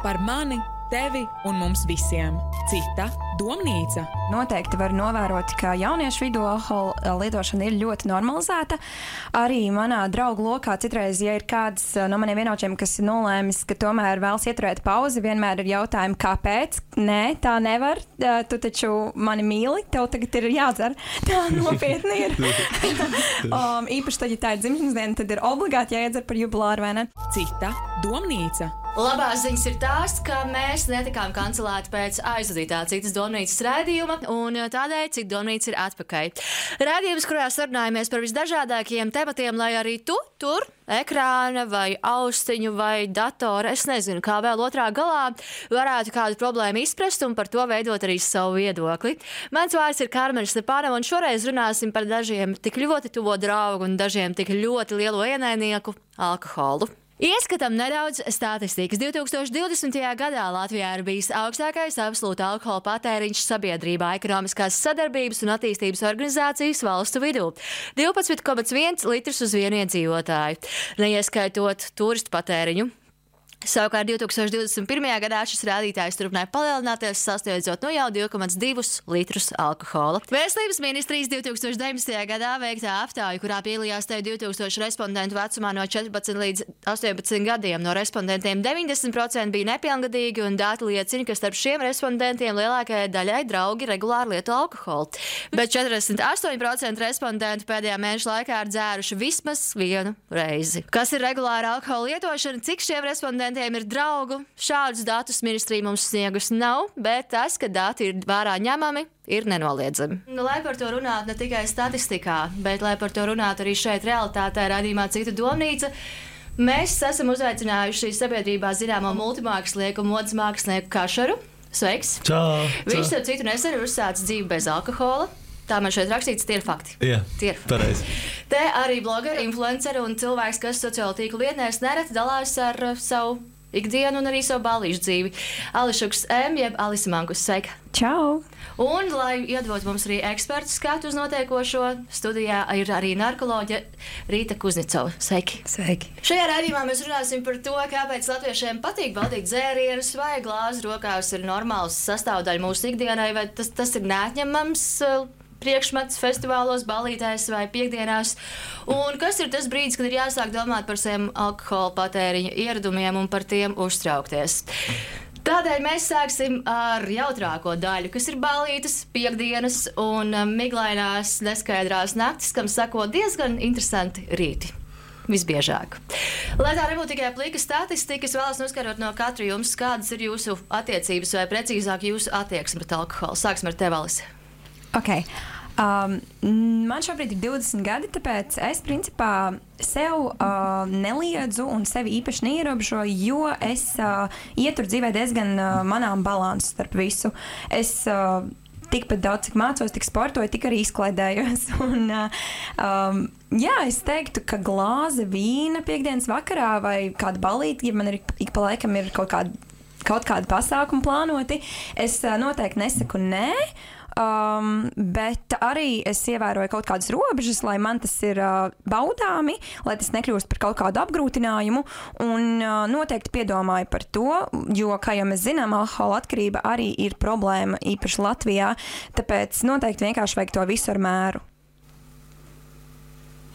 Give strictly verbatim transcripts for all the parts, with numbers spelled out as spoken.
Par mani, tevi un mums visiem. Cita domnīca. Noteikti var novērot, ka jauniešu vidū alkohola lietošana ir ļoti normalizēta. Arī manā draugu lokā citreiz, ja ir kāds no maniem vienaudžiem, kas ir nolēmis, ka tomēr vēlas ieturēt pauzi, vienmēr ir jautājumi, kāpēc? Nē, tā nevar. Tu taču mani mīli, tev tagad ir jādzer. Tā nopietni ir. um, īpaši tad, ja tā ir dzimšanas diena, tad ir obligāti jāiedzer par jubilāru, vai ne? Cita domnīca. Labās ziņas ir tās, ka mēs netikām kancelēti pēc aizvadītā Citas domnīcas raidījuma, un tādēļ Cita domnīca ir atpakaļ. Raidījums, kurā sarunājamies par visdažādākajiem tematiem, lai arī tu tur, ekrāna vai austiņu vai datora, es nezinu, kā vēl otrā galā, varētu kādu problēmu izprast un par to veidot arī savu viedokli. Mans vārds ir Karmeņa Stepanova, un šoreiz runāsim par dažiem tik ļoti tuvo draugu un dažiem tik ļoti lielo ienaidnieku - alkoholu. Ieskatam nedaudz statistikas. divtūkstoš divdesmitajā gadā Latvijā ir bijis augstākais absolūta alkohola patēriņš sabiedrībā Ekonomiskās sadarbības un attīstības organizācijas valstu vidū - divpadsmit komats viens litrs uz vienu iedzīvotāju, neieskaitot turistu patēriņu. Savukārt divtūkstoš divdesmit pirmajā gadā šis rādītājs turpināja palielināties, sasniedzot nu jau divi komats divi litrus alkohola. Veselības ministrijas divtūkstoš deviņdesmitajā gadā veiktā aptāja, kurā piedalījās te divtūkstoši respondentu vecumā no četrpadsmit līdz astoņpadsmit gadiem. No respondentiem deviņdesmit procenti bija nepilngadīgi, un dati liecina, ka starp šiem respondentiem lielākajai daļai draugi regulāri lieto alkoholu. Bet četrdesmit astoņi procenti respondentu pēdējā mēneša laikā ir dzēruši vismaz vienu reizi. Kas ir regulāra alkohola lietošana? Cik šiem respondentiem ir draugu? Šādus datus ministrija mums sniegus nav, bet tas, ka dati ir vērā ņemami, ir nenoliedzami. Nu, lai par to runātu ne tikai statistikā, bet lai par to runātu arī šeit realitātē raidījumā Cita domnīca, mēs esam uzaicinājuši sabiedrībā zināmo multimākslinieku un modes mākslinieku Kašaru. Sveiks! Čau! Viņš starp citu nesen ir uzsācis dzīvi bez alkohola. Tā man šeit rakstīts, tie ir fakti. Jā, tie ir pareizi. Te arī blogeri, influenceri un cilvēks, kas sociālo tīklu lietnēs nereti dalās ar uh, savu ikdienu un arī savu ballīšu dzīvi. Ališuks M, jeb Alisa Mankus, sveika! Čau! Un, lai iedot mums arī ekspertu skatu uz notiekošo, studijā ir arī narkoloģe Rīta Kuznicova. Sveiki! Sveiki! Šajā raidījumā mēs runāsim par to, kāpēc latviešiem patīk baudīt dzērienus, vai glāzi rokās ir normāls sastāvdaļa mūsu ikdienai, vai tas, tas ir neatņemams uh, priekšmets festivālos, ballītēs vai piekdienās. Un kas ir tas brīdis, kad ir jāsāk domāt par saviem alkohola patēriņa ieradumiem un par tiem uztraukties? Tādēļ mēs sāksim ar jautrāko daļu, kas ir ballītes, piekdienas un miglainās, neskaidrās naktis, kam sako diezgan interesanti rīti. Visbiežāk. Lai tā nebūtu tikai plika statistika, es vēlos noskarot no katra jums, kādas ir jūsu attiecības vai precīzāk jūsu attieksme pret alkoholu. Sāksim ar tevi, Alisa. Okay. Um, man šobrīd ir divdesmit gadi, tāpēc es principā sev uh, neliedzu un sevi īpaši neierobežoju, jo es uh, ieturu dzīvē diezgan uh, manām balansu starp visu. Es uh, tikpat daudz, cik mācos, tik sportoju, tik arī izklaidējos. Un, uh, um, jā, es teiktu, ka glāze vīna piekdienas vakarā vai kāda balīte, ja man ir ik pa laikam ir kaut kāda, kaut kāda pasākuma plānoti, es uh, noteikti nesaku nē. Um, bet arī es ievēroju kaut kādas robežas, lai man tas ir uh, baudāmi, lai tas nekļūst par kaut kādu apgrūtinājumu, un uh, noteikti piedomāju par to, jo, kā jau mēs zinām, alkohola atkarība arī ir problēma, īpaši Latvijā, tāpēc noteikti vienkārši vajag to visu ar mēru.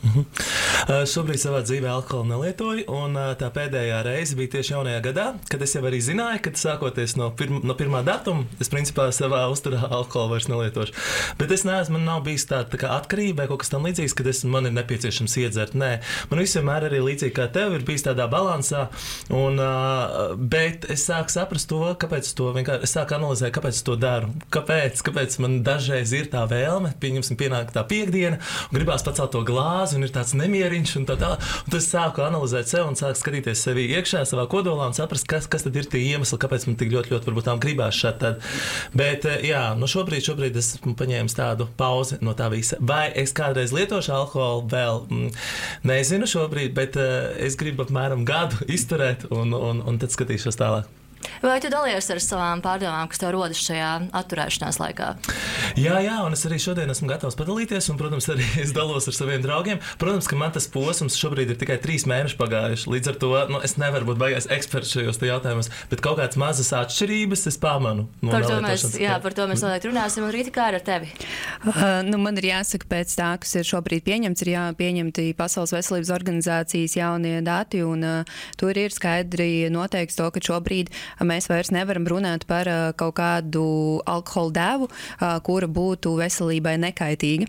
Mhm. Uh, šobrīd savā dzīvē alkoholu nelietoju, un uh, tā pēdējā reize bija tieši jaunajā gadā, kad es jau arī zināju, ka sākoties no, pirma, no pirmā datuma, es principā savā uzturā alkoholu vairs nelietošu. Bet es neesmu, man nav bijis tāda tā kā atkarība vai kaut kas tam līdzīgs, kad es, man ir nepieciešams iedzert. Nē, man viss vienmēr arī līdzīgi kā tev ir bijis tādā balansā, un, uh, bet es sāku saprast to, kāpēc to vienkārši, es sāku analizēt, kāpēc to daru, kāpēc, kāpēc man dažreiz ir tā vēlme, pieņemsim pienāk tā piekdiena, un gribās pacelt to glāzi, un ir tāds nemieriņš, un tā tā. Un tad es sāku analizēt sevi un sāku skatīties sevi iekšā, savā kodolā un saprast, kas, kas tad ir tie iemesli, kāpēc man tik ļoti, ļoti varbūt tām gribās šādi tad. Bet, jā, nu šobrīd, šobrīd es paņēmu tādu pauzi no tā visa. Vai es kādreiz lietošu alkoholu vēl? Mm, nezinu šobrīd, bet uh, es gribu apmēram gadu izturēt un, un, un tad skatīšos tālāk. Vai tu dalies ar savām pārdomām, kas tev rodas šajā atturēšanās laikā? Jā, jā, un es arī šodien esmu gatavs padalīties, un, protams, arī es dalos ar saviem draugiem. Protams, ka man tas posms šobrīd ir tikai trīs mēneši pagājuši. Līdz ar to nu, es nevaru būt baigais eksperts šajos jautājumos, bet kaut kādas mazas atšķirības es pamanu. No par, to mēs, jā, par to mēs noteikti runāsim, un Rīta, kā ar tevi? Uh, nu, man ir jāsaka, pēc tā, kas ir šobrīd pieņemts, ir jāpieņemti Pasaules veselības organizācijas jaunie dati, un uh, tur ir skaidri noteikts to, ka šobrīd mēs vairs nevaram runāt par uh, kaut kādu alkohola devu, uh, kura būtu veselībai nekaitīga.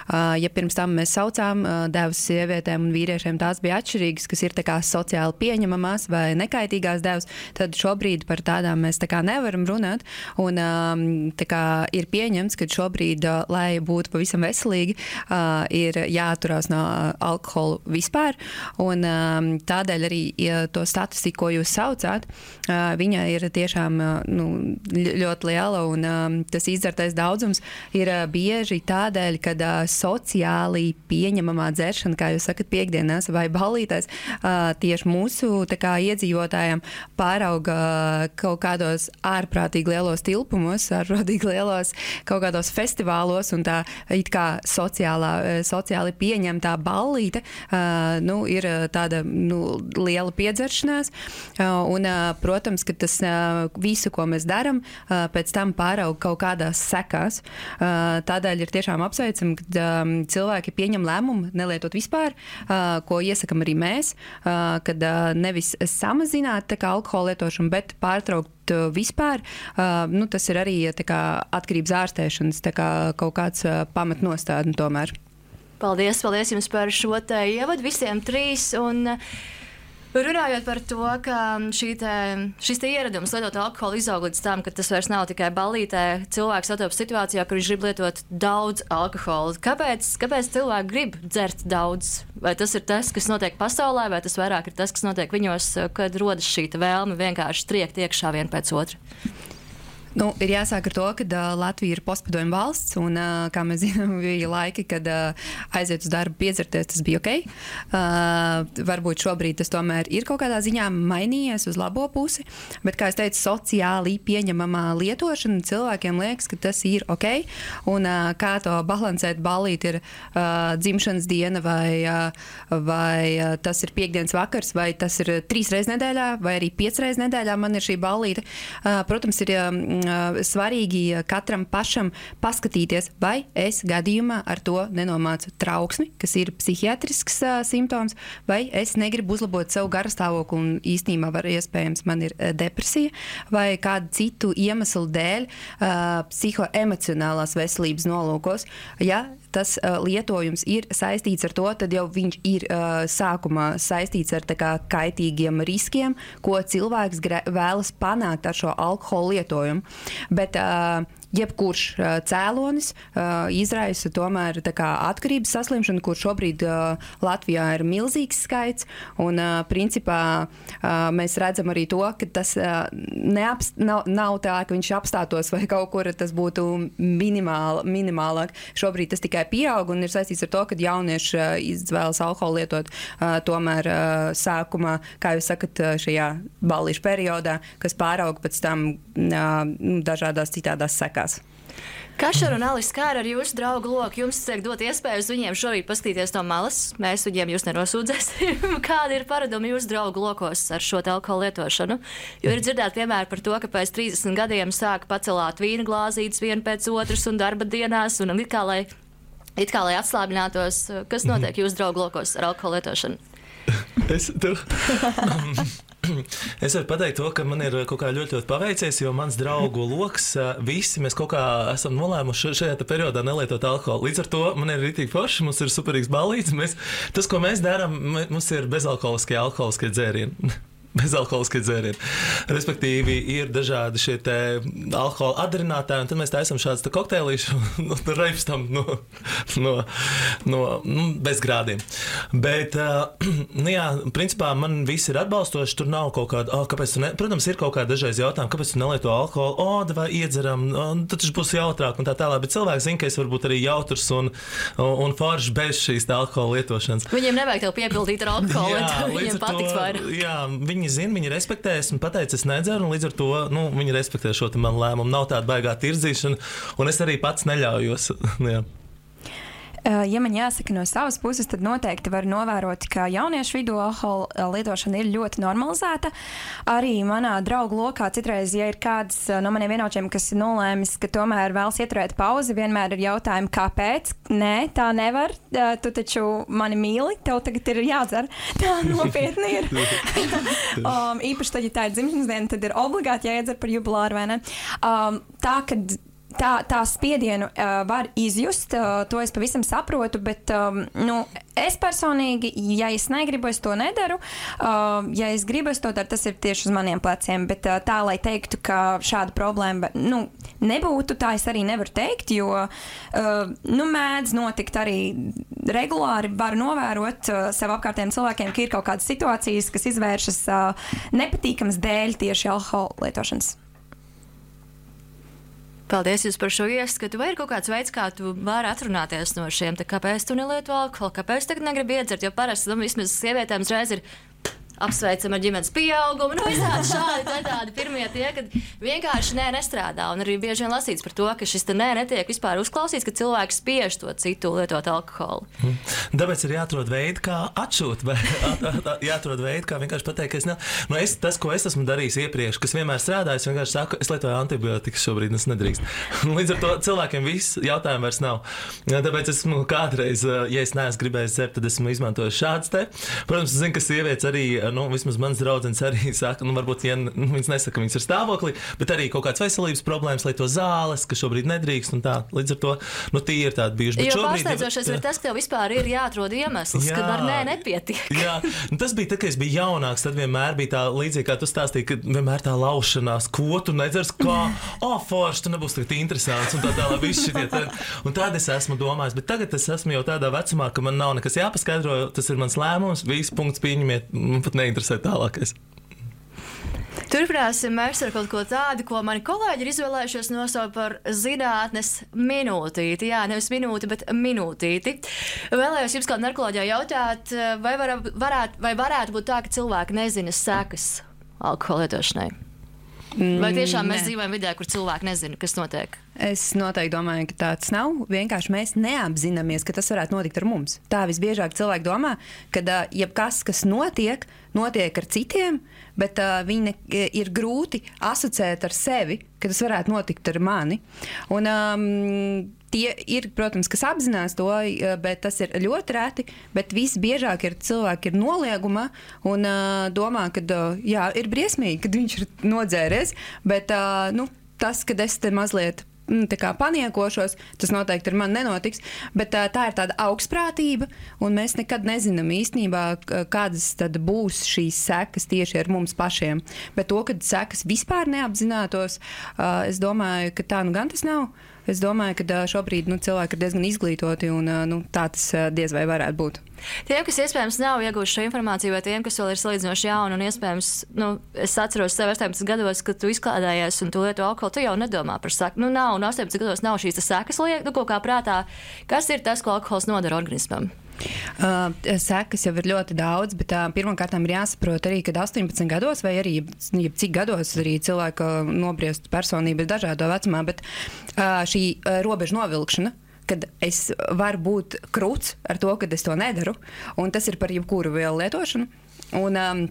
Uh, ja pirms tam mēs saucām uh, devas sievietēm un vīriešiem, tās bija atšķirīgas, kas ir tā kā sociāli pieņemamās vai nekaitīgās devas, tad šobrīd par tādām mēs tā kā nevaram runāt, un um, tā kā ir pieņemts, ka šobrīd, uh, lai būtu pavisam veselīgi, uh, ir jāatturās no uh, alkohola vispār, un um, tādēļ arī ja to statistiku, ko jūs saucāt, uh, viņa ir tiešām uh, nu, ļoti liela, un um, tas izdzertais daudzums ir uh, bieži tādēļ, kad uh, sociāli pieņemamā dzeršana, kā jūs sakat, piekdienās vai ballītēs, uh, tieši mūsu tā kā iedzīvotājiem pārauga uh, kaut kādos ārprātīgi lielos tilpumos, ārprātīgi lielos kaut kādos festivālos, un tā it kā sociālā, sociāli pieņemtā ballīte uh, nu, ir tāda nu, liela piedzeršanās, uh, un, uh, protams, ka tas uh, visu, ko mēs daram, uh, pēc tam pārauga kaut kādās sekās. Uh, tādēļ ir tiešām apsveicami, ka um, cilvēki pieņem lēmumu nelietot vispār, uh, ko iesakam arī mēs, uh, kad uh, nevis samazināt tā kā alkohola lietošanu, bet pārtraukt uh, vispār. Uh, nu, tas ir arī tā kā atkarības ārstēšanas tā kā kaut kāds uh, pamatnostādni tomēr. Paldies, paldies jums par šo te ievadu visiem trīs. Un runājot par to, ka šī te, šis te ieradums lietot alkoholu izaug līdz tam, ka tas vairs nav tikai ballītē, cilvēks satopas situācijā, kur viņš grib lietot daudz alkohola. Kāpēc, kāpēc cilvēki grib dzert daudz? Vai tas ir tas, kas notiek pasaulē, vai tas vairāk ir tas, kas notiek viņos, kad rodas šī vēlme vienkārši triekt iekšā vien pēc otra? Nu, ir jāsāk ar to, ka uh, Latvija ir postpadomju valsts, un, uh, kā mēs zinām, bija laiki, kad uh, aiziet uz darbu piedzerties, tas bija ok. Uh, varbūt šobrīd tas tomēr ir kaut kādā ziņā mainījies uz labo pusi, bet, kā es teicu, sociāli pieņemamā lietošana cilvēkiem liekas, ka tas ir ok, un uh, kā to balansēt, ballīt ir uh, dzimšanas diena, vai, uh, vai uh, tas ir piekdienas vakars, vai tas ir trīs reizes nedēļā, vai arī piecas reizes nedēļā man ir šī ballīte. Uh, protams, ir um, svarīgi katram pašam paskatīties, vai es gadījumā ar to nenomācu trauksmi, kas ir psihiatrisks uh, simptoms, vai es negribu uzlabot savu garastāvokli un īstenībā var iespējams man ir uh, depresija, vai kādu citu iemeslu dēļ uh, psihoemocionālās veselības nolūkos. Ja tas uh, lietojums ir saistīts ar to, tad jau viņš ir uh, sākumā saistīts ar tā kā kaitīgiem riskiem, ko cilvēks gra- vēlas panākt ar šo alkoholu lietojumu. Bet uh, jebkurš uh, cēlonis uh, izraisa tomēr tā kā atkarības saslimšanu, kur šobrīd uh, Latvijā ir milzīgs skaits, un uh, principā uh, mēs redzam arī to, ka tas uh, neapst, nav, nav tā, ka viņš apstātos vai kaut kur tas būtu minimāl, minimālāk. Šobrīd tas tikai pieaug un ir saistīts ar to, ka jaunieši uh, izvēlas alkoholu lietot uh, tomēr uh, sākumā, kā jūs sakat, uh, šajā ballīšu periodā, kas pāraug pēc tam uh, dažādās citādās sekās. Kašar un Alis, kā ar jūsu draugu loku? Jums tiek dot iespēju uz viņiem šorīt paskatīties no malas. Mēs viņiem jūs nenosūdzēsim. Kādi ir paradumi jūsu draugu lokos ar šo alkoholu lietošanu? Jo ir dzirdēt piemēru par to, ka pēc trīsdesmit gadiem sāk pacelāt vīna glāzītes vienu pēc otras un darba dienās, un it kā lai, it kā lai atslābinātos. Kas notiek jūsu draugu lokos ar alkoholu lietošanu? Es tev... Es varu pateikt to, ka man ir kaut kā ļoti, ļoti paveicies, jo mans draugu loks, visi mēs kaut kā esam nolēmuši šajā periodā nelietot alkoholu. Līdz ar to man ir ritīgi forši, mums ir superīgs ballīts. Mēs, tas, ko mēs darām, mums ir bezalkoholiskie alkoholiskie dzērieni. Bezalkoholiskie dzērieni. Respektīvi, ir dažādi šie te alkohola atdarinātāji, un tad mēs taisam šādus kokteilīšu un reipstam no, no, no, no bez grādiem. Bet, uh, nu jā, principā man viss ir atbalstoši, tur nav kaut kāda, oh, kāpēc tu ne, protams, ir kaut kāda dažreiz jautājumi, kāpēc tu nelieto alkoholu, o, oh, vai iedzeram, oh, tad tas būs jautrāk un tā tālāk, bet cilvēks zina, ka es varu būt arī jautrs un, un, un foršs bez šīs alkohola lietošanas. Viņiem nevajag tev piepildīt ar alkoholu, jā, viņiem patiks vairāk. Jā, viņi viņi zina, viņi respektēs un pateica, es nedzeru, un līdz ar to nu, viņi respektē šo manu lēmumu. Nav tāda baigā tirzīšana, un es arī pats neļaujos. Jā. Ja man jāsaka no savas puses, tad noteikti var novērot, ka jauniešu vidū alkohola lietošana ir ļoti normalizēta. Arī manā draugu lokā citreiz, ja ir kāds no maniem vienaučiem, kas ir nolēmis, ka tomēr vēlas ieturēt pauzi, vienmēr ir jautājumi, kāpēc? Nē, tā nevar. Tu taču mani mīli, tev tagad ir jādzer. Tā nopietni ir. um, īpaši tad, ja tā ir dzimšanas diena, tad ir obligāti jāiedzer par jubilāru, vai ne? Um, tā, kad Tā, tā spiedienu uh, var izjust, uh, to es pavisam saprotu, bet um, nu, es personīgi, ja es negribu, es to nedaru. Uh, ja es gribu, es to daru, tas ir tieši uz maniem pleciem. Bet uh, tā, lai teiktu, ka šāda problēma nu, nebūtu, tā es arī nevaru teikt, jo uh, nu, mēdz notikt arī regulāri, var novērot uh, sev apkārtējiem cilvēkiem, ka ir kaut kādas situācijas, kas izvēršas uh, nepatīkamas dēļ tieši alkohola lietošanas. Paldies jums par šo ieskatu. Vai ir kaut kāds veids, kā tu vari atrunāties no šiem, tā kāpēc tu nelieto alkoholu, kāpēc tagad negribi iedzert, jo parasti, nu, vismaz sievietēm uzreiz ir apsveicam ar ģimenes pieaugumu, nu, visādi šādi, tādi pirmie tie, kad vienkārši nē, nestrādā, un arī bieži vien lasīts par to, ka šis te nē netiek vispār uzklausīts, ka cilvēks spiež to citu lietot alkoholu. Hmm. Tāpēc ir jāatrod veidi, kā atšūt, vai at, at, at, jāatrod veidi, kā vienkārši pateikt, ka es ne... Nu, es, tas, ko es esmu darījis iepriekš, kas vienmēr strādājis, vienkārši saku, es lietoju antibiotikas šobrīd, es nedrīkst. Līdz ar to cilvēkiem viss jautājumu vairs nav. Tāpēc esmu kādreiz, ja es neesmu gribējis dzert, tad esmu izmantojis šāds te. Protams, es zinu, ka sievietes arī nu, vismaz mans draudzens arī saka, nu, varbūt, ja nu, viņas nesaka, ka viņas ir stāvoklī, bet arī kaut kādas veselības problēmas, lai to zāles, ka šobrīd nedrīkst, un tā, līdz ar to, nu, tie ir tādi bijuši. Jo pārsteidzošais ir tas, ka tev vispār ir jāatrod iemesls, jā, kad ar nē nepietiek. Jā, nu, tas bija tā, ka es biju jaunāks, tad vienmēr bija tā līdzīgi, kā tu stāstīji, ka vienmēr tā laušanās, ko tu nedzers, kā, o, forši, tu nebūs tagad interesants, un tā tā, lai viss šitie tad. Un tad es esmu domājis, bet tagad es esmu jau tādā vecumā, ka man nav nekas jāpaskaidro, tas ir mans lēmums, viss punkts pieņemiet, man pat neinteresē tālākais. Turpināsim mēs ar kaut ko tādu, ko mani kolēģi ir izvēlējušies nosaukt par zinātnes minūtīti. Jā, nevis minūti, bet minūtīti. Vēlējos jums kā narkoloģijā jautāt, vai, var, varētu, vai varētu būt tā, ka cilvēki nezina sekas alkohola lietošanai? Vai tiešām mēs Nē. dzīvojam vidē, kur cilvēki nezina, kas notiek? Es noteikti domāju, ka tāds nav. Vienkārši mēs neapzināmies, ka tas varētu notikt ar mums. Tā visbiežāk cilvēki domā, ka uh, jebkas, kas notiek, notiek ar citiem, bet uh, viņi ne, ir grūti asociēt ar sevi, ka tas varētu notikt ar mani. Un, um, tie ir, protams, kas apzinās to, bet tas ir ļoti reti. Bet visbiežāk ir cilvēki ir noliegumā un uh, domā, ka uh, jā, ir briesmīgi, kad viņš ir nodzēries. Bet uh, nu, tas, kad es te mazliet tā kā paniekošos, tas noteikti ar mani nenotiks, bet tā, tā ir tāda augstprātība, un mēs nekad nezinām īstenībā, kādas tad būs šīs sekas tieši ar mums pašiem. Bet to, kad sekas vispār neapzinātos, es domāju, ka tā nu gan tas nav. Es domāju, ka šobrīd nu, cilvēki ir diezgan izglītoti, un nu, tā tas diez vai varētu būt. Tiem, kas iespējams nav ieguvuši šo informāciju, vai tiem, kas vēl ir salīdzinoši jauni, un iespējams, nu, es atceros sev astoņpadsmit gados, kad tu izklādējies un tu lieto alkoholu, tu jau nedomā par seku. Nu, nav, un astoņpadsmit gados nav šīs sekas liek, nu, kaut kā prātā. Kas ir tas, ko alkohols nodara organismam? Uh, sekas jau ir ļoti daudz, bet uh, pirmkārt ir jāsaprot arī, ka astoņpadsmit gados vai arī cik gados arī cilvēka nobriest personība ir dažādo vecumā, bet uh, šī uh, robeža novilkšana, kad es varu būt krūts ar to, ka es to nedaru, un tas ir par jebkuru vielu lietošanu. Un, um,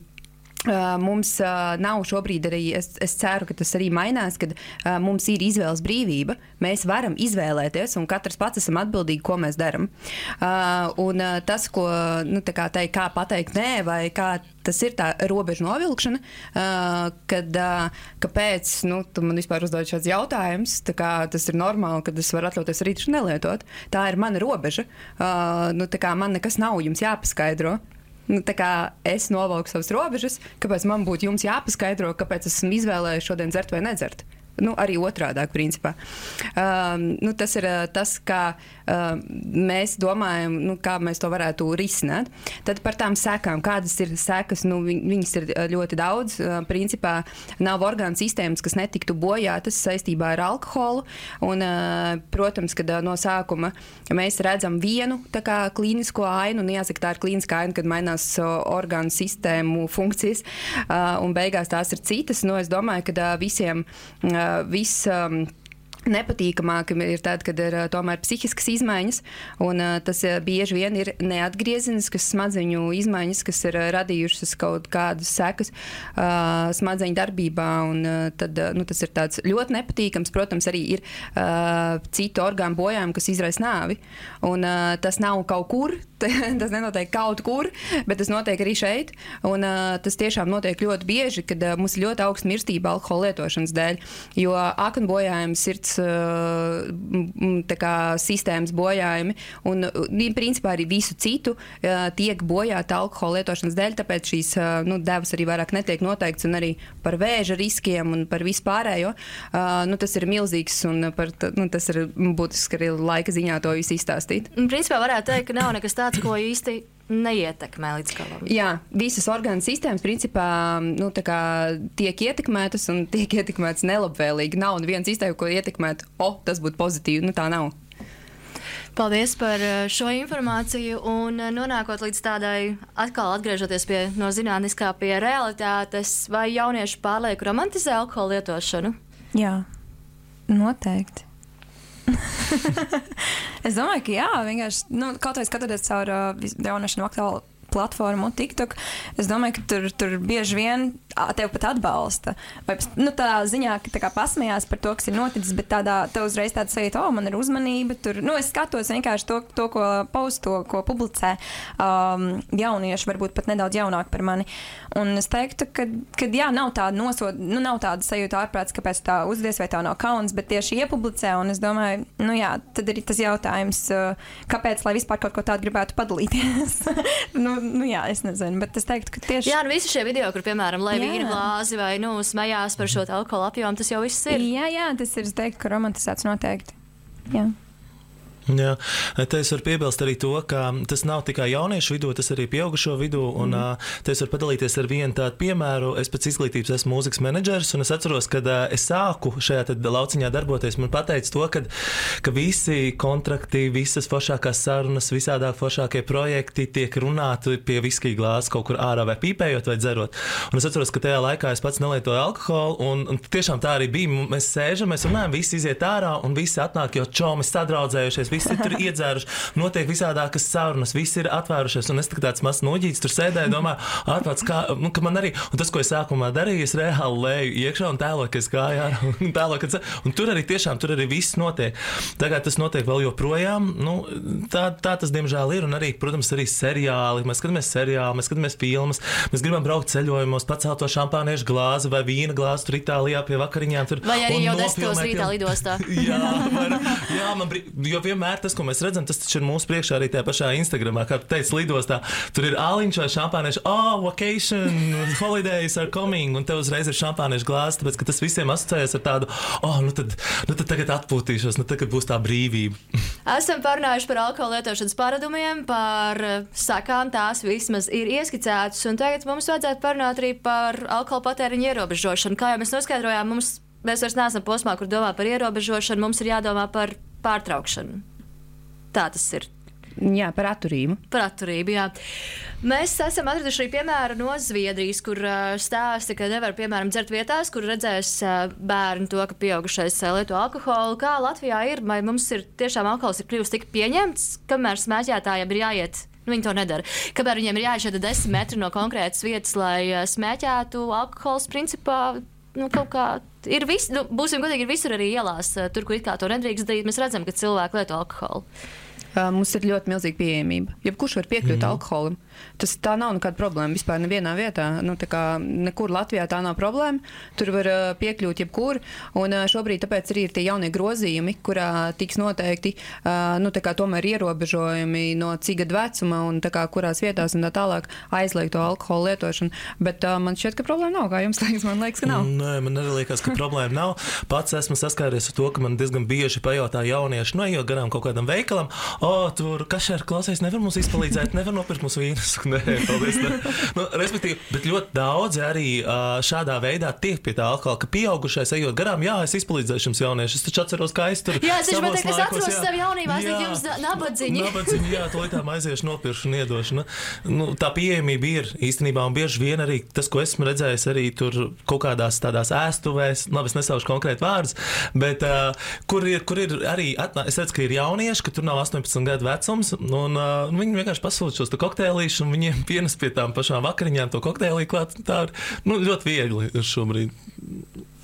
Uh, mums uh, nav šobrīd arī, es, es ceru, ka tas arī mainās, kad uh, mums ir izvēles brīvība. Mēs varam izvēlēties, un katrs pats esam atbildīgi, ko mēs daram. Uh, un uh, tas, ko, nu, tā kā teikt, kā pateikt nē, vai kā tas ir tā robeža novilkšana, uh, kad, uh, kāpēc, nu, tu man vispār uzdod šāds jautājums, tā kā tas ir normāli, kad es varu atļauties arī taču nelietot. Tā ir mana robeža. Uh, nu, tā kā man nekas nav jums jāpaskaidro. Nu, tā kā es novalku savas robežas, kāpēc man būtu jums jāpaskaidro, kāpēc esmu izvēlējies šodien dzert vai nedzert. Nu, arī otrādāk, principā. Um, nu, tas ir uh, tas, kā uh, mēs domājam, nu, kā mēs to varētu risināt. Tad par tām sekām, kādas ir sekas, nu, viņ, viņas ir ļoti daudz. Uh, principā nav orgānu sistēmas, kas netiktu bojātas saistībā ar alkoholu. Un, uh, protams, kad uh, no sākuma mēs redzam vienu tā kā klīnisko ainu, un jāsaka, tā ir klīniskā aina, kad mainās uh, orgānu sistēmu funkcijas, uh, un beigās tās ir citas. Nu, es domāju, ka uh, visiem uh, viss um, nepatīkamāk ir tad, kad ir uh, tomēr psihiskas izmaiņas, un uh, tas uh, bieži vien ir neatgriezeniskas smadzeņu izmaiņas, kas ir uh, radījušas kaut kādas sekas uh, smadzeņu darbībā, un uh, tad, uh, nu, tas ir tāds ļoti nepatīkams. Protams, arī ir uh, citu orgānu bojājumi, kas izraisa nāvi, un uh, tas nav kaut kur, tas nenotiek kaut kur, bet tas notiek arī šeit, un uh, tas tiešām notiek ļoti bieži, kad uh, mums ir ļoti augsta mirstība alkohola lietošanas dēļ, jo aknu bojājumi, sirds tā kā sistēmas bojājumi un principā arī visu citu tiek bojāti alkohola lietošanas dēļ, tāpēc šīs nu, devas arī vairāk netiek noteikts, un arī par vēža riskiem un par vispārējo. Nu, tas ir milzīgs, un par, nu, tas ir būtiski arī laika ziņā to visu izstāstīt. Principā varētu teikt, ka nav nekas tāds, ko īsti neietekmē līdz galam. Jā, visas orgānu sistēmas principā nu, tā kā tiek ietekmētas un tiek ietekmētas nelabvēlīgi. Nav neviena sistēma, ko ietekmēt, o, tas būtu pozitīvi. Nu, tā nav. Paldies par šo informāciju, un nonākot līdz tādai, atkal atgriežoties pie, no zinātniskā pie realitātes, vai jaunieši pārlieku romantizē alkohola lietošanu? Jā, noteikti. Es domāju, ka jā, vienkārši, nu, kaut vai skatoties caur uh, jauniešanu aktuālu platformu TikTok, es domāju, ka tur, tur bieži vien tev pat atbalsta. Vai, nu, tādā ziņā, ka tā kā pasmējās par to, kas ir noticis, bet tādā, tev uzreiz tāda sajūta, o, man ir uzmanība. Tur, nu, es skatos vienkārši to, to ko post, to, ko publicē um, jaunieši, varbūt pat nedaudz jaunāk par mani. Un es teiktu, ka, ka jā, nav tāda nosod, nu, nav tāda sajūta ārprāts, kāpēc tā uzdies vai tā nav kauns, bet tieši iepublicē, un es domāju, nu jā, tad ir tas jautājums, kāpēc, lai vispār kaut ko tādu gribētu padalīties. nu, nu jā, es nezinu, bet es teiktu, ka tieši... Jā, nu visi šie video, kur, piemēram, lai vīna glāzi vai, nu, smējās par šo alkohola apjomu, tas jau viss ir. Jā, jā, tas ir, es teiktu, ka romantizēts noteikti. Jā. Jā, te es varu piebilst arī to, ka tas nav tikai jauniešu vidū, tas arī pieaugušo vidū, un mm. te es varu padalīties ar vienu tādu piemēru. Es pēc izglītības esmu mūzikas menedžers, un es atceros, kad es sāku šajā tad lauciņā darboties, man pateica to, kad, ka visi kontrakti, visas foršākās sarunas, visādāk foršākie projekti tiek runāti pie viskija glāzes kaut kur ārā vai pīpējot vai dzerot. Un es atceros, ka tajā laikā es pats nelietoju alkoholu, un, un tiešām tā arī bija. Mēs sēžam, mēs runājam, visi iziet ārā, un visi atnāk, jo čomi sadraudzējušies, visi ir tur iedzēruši, notiek visādākas sarunas, visi ir atvērušies, un es tāds mazs noģīts tur sēdēju, domāju, ārpats, kā, nu, ka man arī, un tas, ko es sākumā darīju, es reāli lēju iekšā un tēloju, ka es gāju ārā, un tēloju, ka es, un tur arī tiešām, tur arī viss notiek. Tagad tas notiek vēl joprojām, nu, tā, tā tas diemžēl ir, un arī, protams, arī seriāli, mēs skatāmies seriāli, mēs skatāmies filmas, mēs gribam braukt ceļojumos, pacelt to šampāniešu glāzi vai vīna glāzi tur Itālijā pie vakariņām. Tur, vai arī jau desmitos rītā lidostā. jā, var, jā, man, jo vienmēr tas, ko mēs redzam, tas taču ir mūsu priekšā arī tajā pašā Instagramā, kā tu teici, lidostā. Tur ir āliņš vai šampānieši, oh, vacation, holidays are coming, un tev uzreiz ir šampāniešu glāze, tāpēc, ka tas visiem asociējas ar tādu, oh, nu tad, nu tad tagad atpūtīšos, nu tagad būs tā brīvība. Esam parunājuši par alkohola lietošanas paradumiem, par sakām, tās vismaz ir ieskicētas, un tagad mums vajadzētu parunāt arī par alkohola patēriņu ierobežošanu. Kā jau mēs noskaidrojām, mums, mēs vairs neesam posmā, kur domā par ierobežošanu, mums ir jādomā par pārtraukšanu. Tā tas ir. Jā, par atturību. Par atturību, jā. Mēs esam atraduši arī piemēru no Zviedrijas, kur uh, stāsta, ka nevar, piemēram, dzert vietās, kur redzēs uh, bērni to, ka pieaugušais uh, lieto alkoholu. Kā Latvijā ir, vai mums ir tiešām alkohols ir kļuvis tik pieņemts, kamēr smēķētājiem ir jāiet, nu viņi to nedara, kamēr viņiem ir jāiet šeit desmit metri no konkrētas vietas, lai uh, smēķētu, alkohols principā, nu kaut kā ir viss, nu būsim godīgi, ir visur arī ielās, uh, tur, kur it kā to nedrīkst darīt, mēs redzam, ka cilvēki lieto alkoholu. Uh, mums ir ļoti milzīga pieejamība. Jebkurš var piekļūt mm. alkoholim. Tas tā nav nekāda problēma vispār nevienā vietā. Nu, tā kā nekur Latvijā tā nav problēma. Tur var uh, piekļūt jebkur. Un uh, šobrīd tāpēc arī ir tie jaunie grozījumi, kurā tiks noteikti uh, nu, tā kā tomēr ierobežojumi no cik gadu vecuma un tā kā kurās vietās un tā tālāk aizliegt to alkoholu lietošanu. Bet uh, man šķiet, ka problēma nav. Kā jums liekas? Man liekas, ka nav. Nē, man arī liekas, ka problēma nav. Pats esmu saskāries ar to, ka man diezgan bieži pajautā jaunieši, nu, ejot garām kaut kādam veikalam, o, tur kašēr klausies, nevar mums izpalīdzēt, nevar nopirkt mūsu vīnus. Nē, paldies. Ne. Nu, respektīvi, bet ļoti daudzi arī uh, šādā veidā tiek pie tā alkohola, ka pieaugušais ejot garām, jā, es izpalīdzēšu jums jaunieši. Es taču atceros, kā es tur jā, es savos laikos, es atceros jā, savu jaunībā, es teiktu jums nabadziņi. Nabadziņi, jā, to tā aiziešu, nopiršu un iedošu. Nu, nu, tā pieejamība ir īstenībā, un bieži vien arī tas, ko esmu redzējis arī tur kaut kādās tādās ēstuvēs, labi, es nesaušu konkrēti vārdus, bet uh, kur, ir, kur ir arī, atnā, es redzu, ka ir jaunieši, ka tur nav astoņpadsmit gadu vecums, un uh, viņi vienkārši pasūta šos kokteilīšus, un viņiem pienes pie tām pašām vakariņām to kokteilī klāt. Tā ir nu, ļoti viegli ir šobrīd.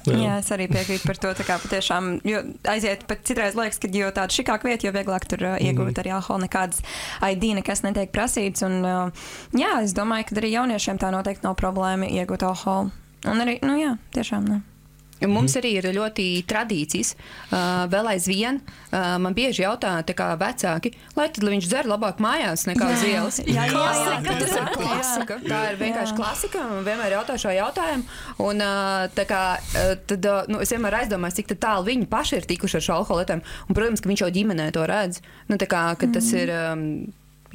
Jā. Jā, es arī piekrītu par to, tā kā patiešām, jo aiziet pat citreiz liekas, ka jo tāda šikāk vieta, jo vieglāk tur uh, iegūt mm. arī alkoholu, nekādas I D, nekas netiek prasīts, un uh, jā, es domāju, ka arī jauniešiem tā noteikti nav problēma iegūt alkoholu. Un arī, nu jā, tiešām ne. Mums arī ir ļoti tradīcijas. Uh, vēl aizvien uh, man bieži jautā kā vecāki, lai tad lai viņš dzer labāk mājās nekā uz ielas. Jā, jā, jā, jā, tas ir klasika. Tā ir vienkārši jā. Klasika. Man vienmēr jautā šo jautājumu. Un uh, tā kā, uh, tad, uh, nu, es vienmēr aizdomājos, cik tālu viņi paši ir tikuši ar šo alkoholu lietojumu. Un, protams, ka viņš jau ģimenē to redz. Nu, tā kā, ka tas mm. ir... Um,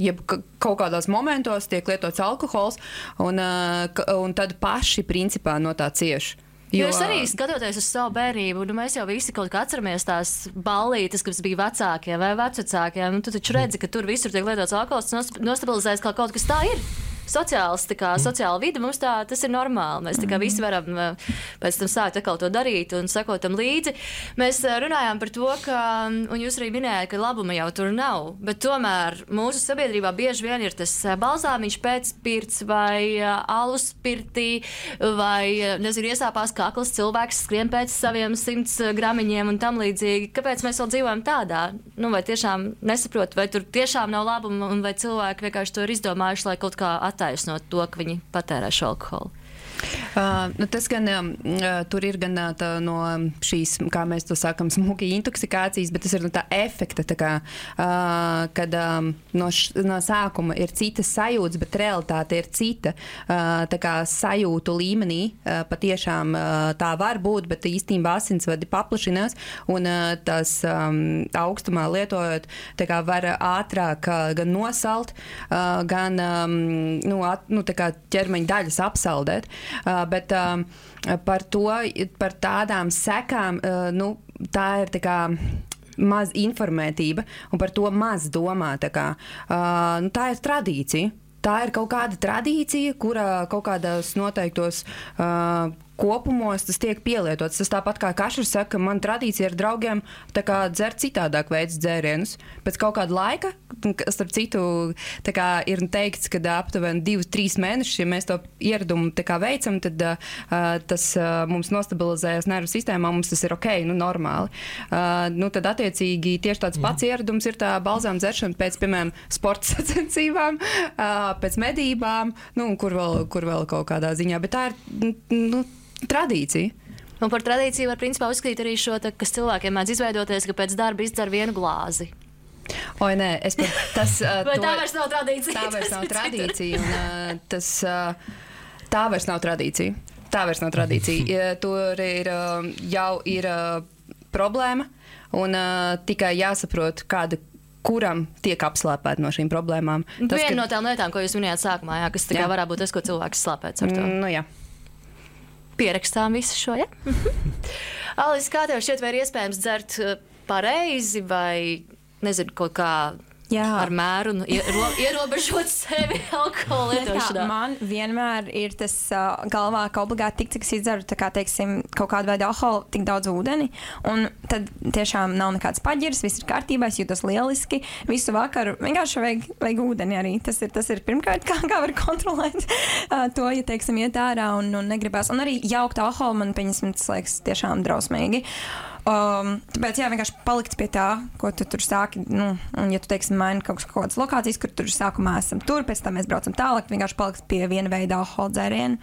jeb kaut kādos momentos tiek lietots alkohols, un, uh, un tad paši principā no tā cieši. Jo es arī skatoties uz savu bērnību, nu mēs jau visi kaut kā atceramies tās ballītes, kas bija vecākiem vai vecvecākiem. Nu, tu taču redzi, ka tur visur tiek lietots alkohols, nostabilizēs kā kaut kas tā ir. Sociāls, tā kā sociāla vide mums tā, tas ir normāli. Mēs tā kā visi varam pēc tam sākt atkal to darīt un sekot tam līdzi. Mēs runājām par to, ka, un jūs arī minējāt, ka labuma jau tur nav, bet tomēr mūsu sabiedrībā bieži vien ir tas balzāmiņš pēc pirts vai alus pirtī vai, nezinu, iesāpās kakls cilvēks skrien pēc saviem simts gramiņiem un tam līdzīgi. Kāpēc mēs vēl dzīvojam tādā? Nu, vai tiešām nesaprot, vai tur tiešām nav labuma un vai cilvēki vienkārši to ir izdomājuši, lai kaut kā attaisnot to, ka viņi patērē šo alkoholu? Uh, nu tas gan, uh, tur ir gan tā, no šīs, kā mēs to sakam, smuki intoksikācijas, bet tas ir no tā efekta, tā kā, uh, kad um, no, š, no sākuma ir citas sajūtas, bet realitāte ir cita. Uh, tā kā sajūtu līmenī uh, patiešām uh, tā var būt, bet īstenībā asinsvadi paplašinās, un uh, tas um, augstumā lietojot, tā kā var ātrāk uh, gan nosalt, uh, gan um, nu, at, nu, tā kā ķermeņa daļas apsaldēt. Uh, bet uh, par to, par tādām sekām, uh, nu, tā ir tā kā maz informētība un par to maz domā. Tā, kā, uh, nu, tā ir tradīcija. Tā ir kaut kāda tradīcija, kurā kaut kādos noteiktos uh, kopumos tas tiek pielietots. Tas tāpat kā Kašers saka, man tradīcija ar draugiem tā kā dzert citādāk veids dzērienus. Pēc kaut kāda laika, starp citu, tā kā ir teikts, ka aptuveni divus, trīs mēnešus, ja mēs to ieradumu tā kā veicam, tad uh, tas uh, mums nostabilizējas nervu sistēmā, mums tas ir ok, nu normāli. Uh, nu tad attiecīgi tieši tāds pats ieradums ir tā balzām dzeršana pēc, piemēram, sporta sacensībām, uh, pēc medībām, nu, kur vēl, kur vēl kaut kādā ziņā, bet tā ir, nu, tradīcija. Un par tradīciju var principā uzskatīt arī šo, tā, kas cilvēkiem mēdz izveidoties, ka pēc darba izdzer vienu glāzi. Oi, nē, es pat tas... Uh, Vai to, tā vairs nav tradīcija? Tā vairs nav tradīcija, un uh, tas... Uh, tā vairs nav tradīcija. Tā vairs nav tradīcija. Tur ir, uh, jau ir uh, problēma, un uh, tikai jāsaprot, kāda kuram tiek apslāpēti no šīm problēmām. Tas, Viena ka... no tām lietām, ko jūs minējāt sākumā, jā, kas tikai varētu būt tas, ko cilvēks slāpēts ar to. Mm, nu, jā. Pierakstām visu šo, ja? Alis, kā tev šķiet, vai ir iespējams dzert pareizi vai, nezinu, kaut kā jā. Ar mēru un iero, ierobežot sevi alkohola lietošanā? Man vienmēr ir tas uh, galvā, ka obligāti tik, cik es izdzeru, tā kā, teiksim, kaut kādu veidu alkoholu, tik daudz ūdeni, un tad tiešām nav nekāds paģirs, viss ir kārtībā, es jūtos lieliski, visu vakaru vienkārši vajag, vajag ūdeni arī. Tas ir, tas ir pirmkārt, kā, kā var kontrolēt uh, to, ja, teiksim, iet ārā un, un negribās. Un arī jaukt alkoholu man, pieņemsim, tas liekas tiešām drausmīgi. Um, tāpēc, jā, vienkārši palikt pie tā, ko tu tur sāki. Nu, un, ja tu, teiksim, maini kaut kādas lokācijas, kur tur sākumā esam tur, pēc tam mēs braucam tālāk, vienkārši palikt pie viena veida alkohola dzērienu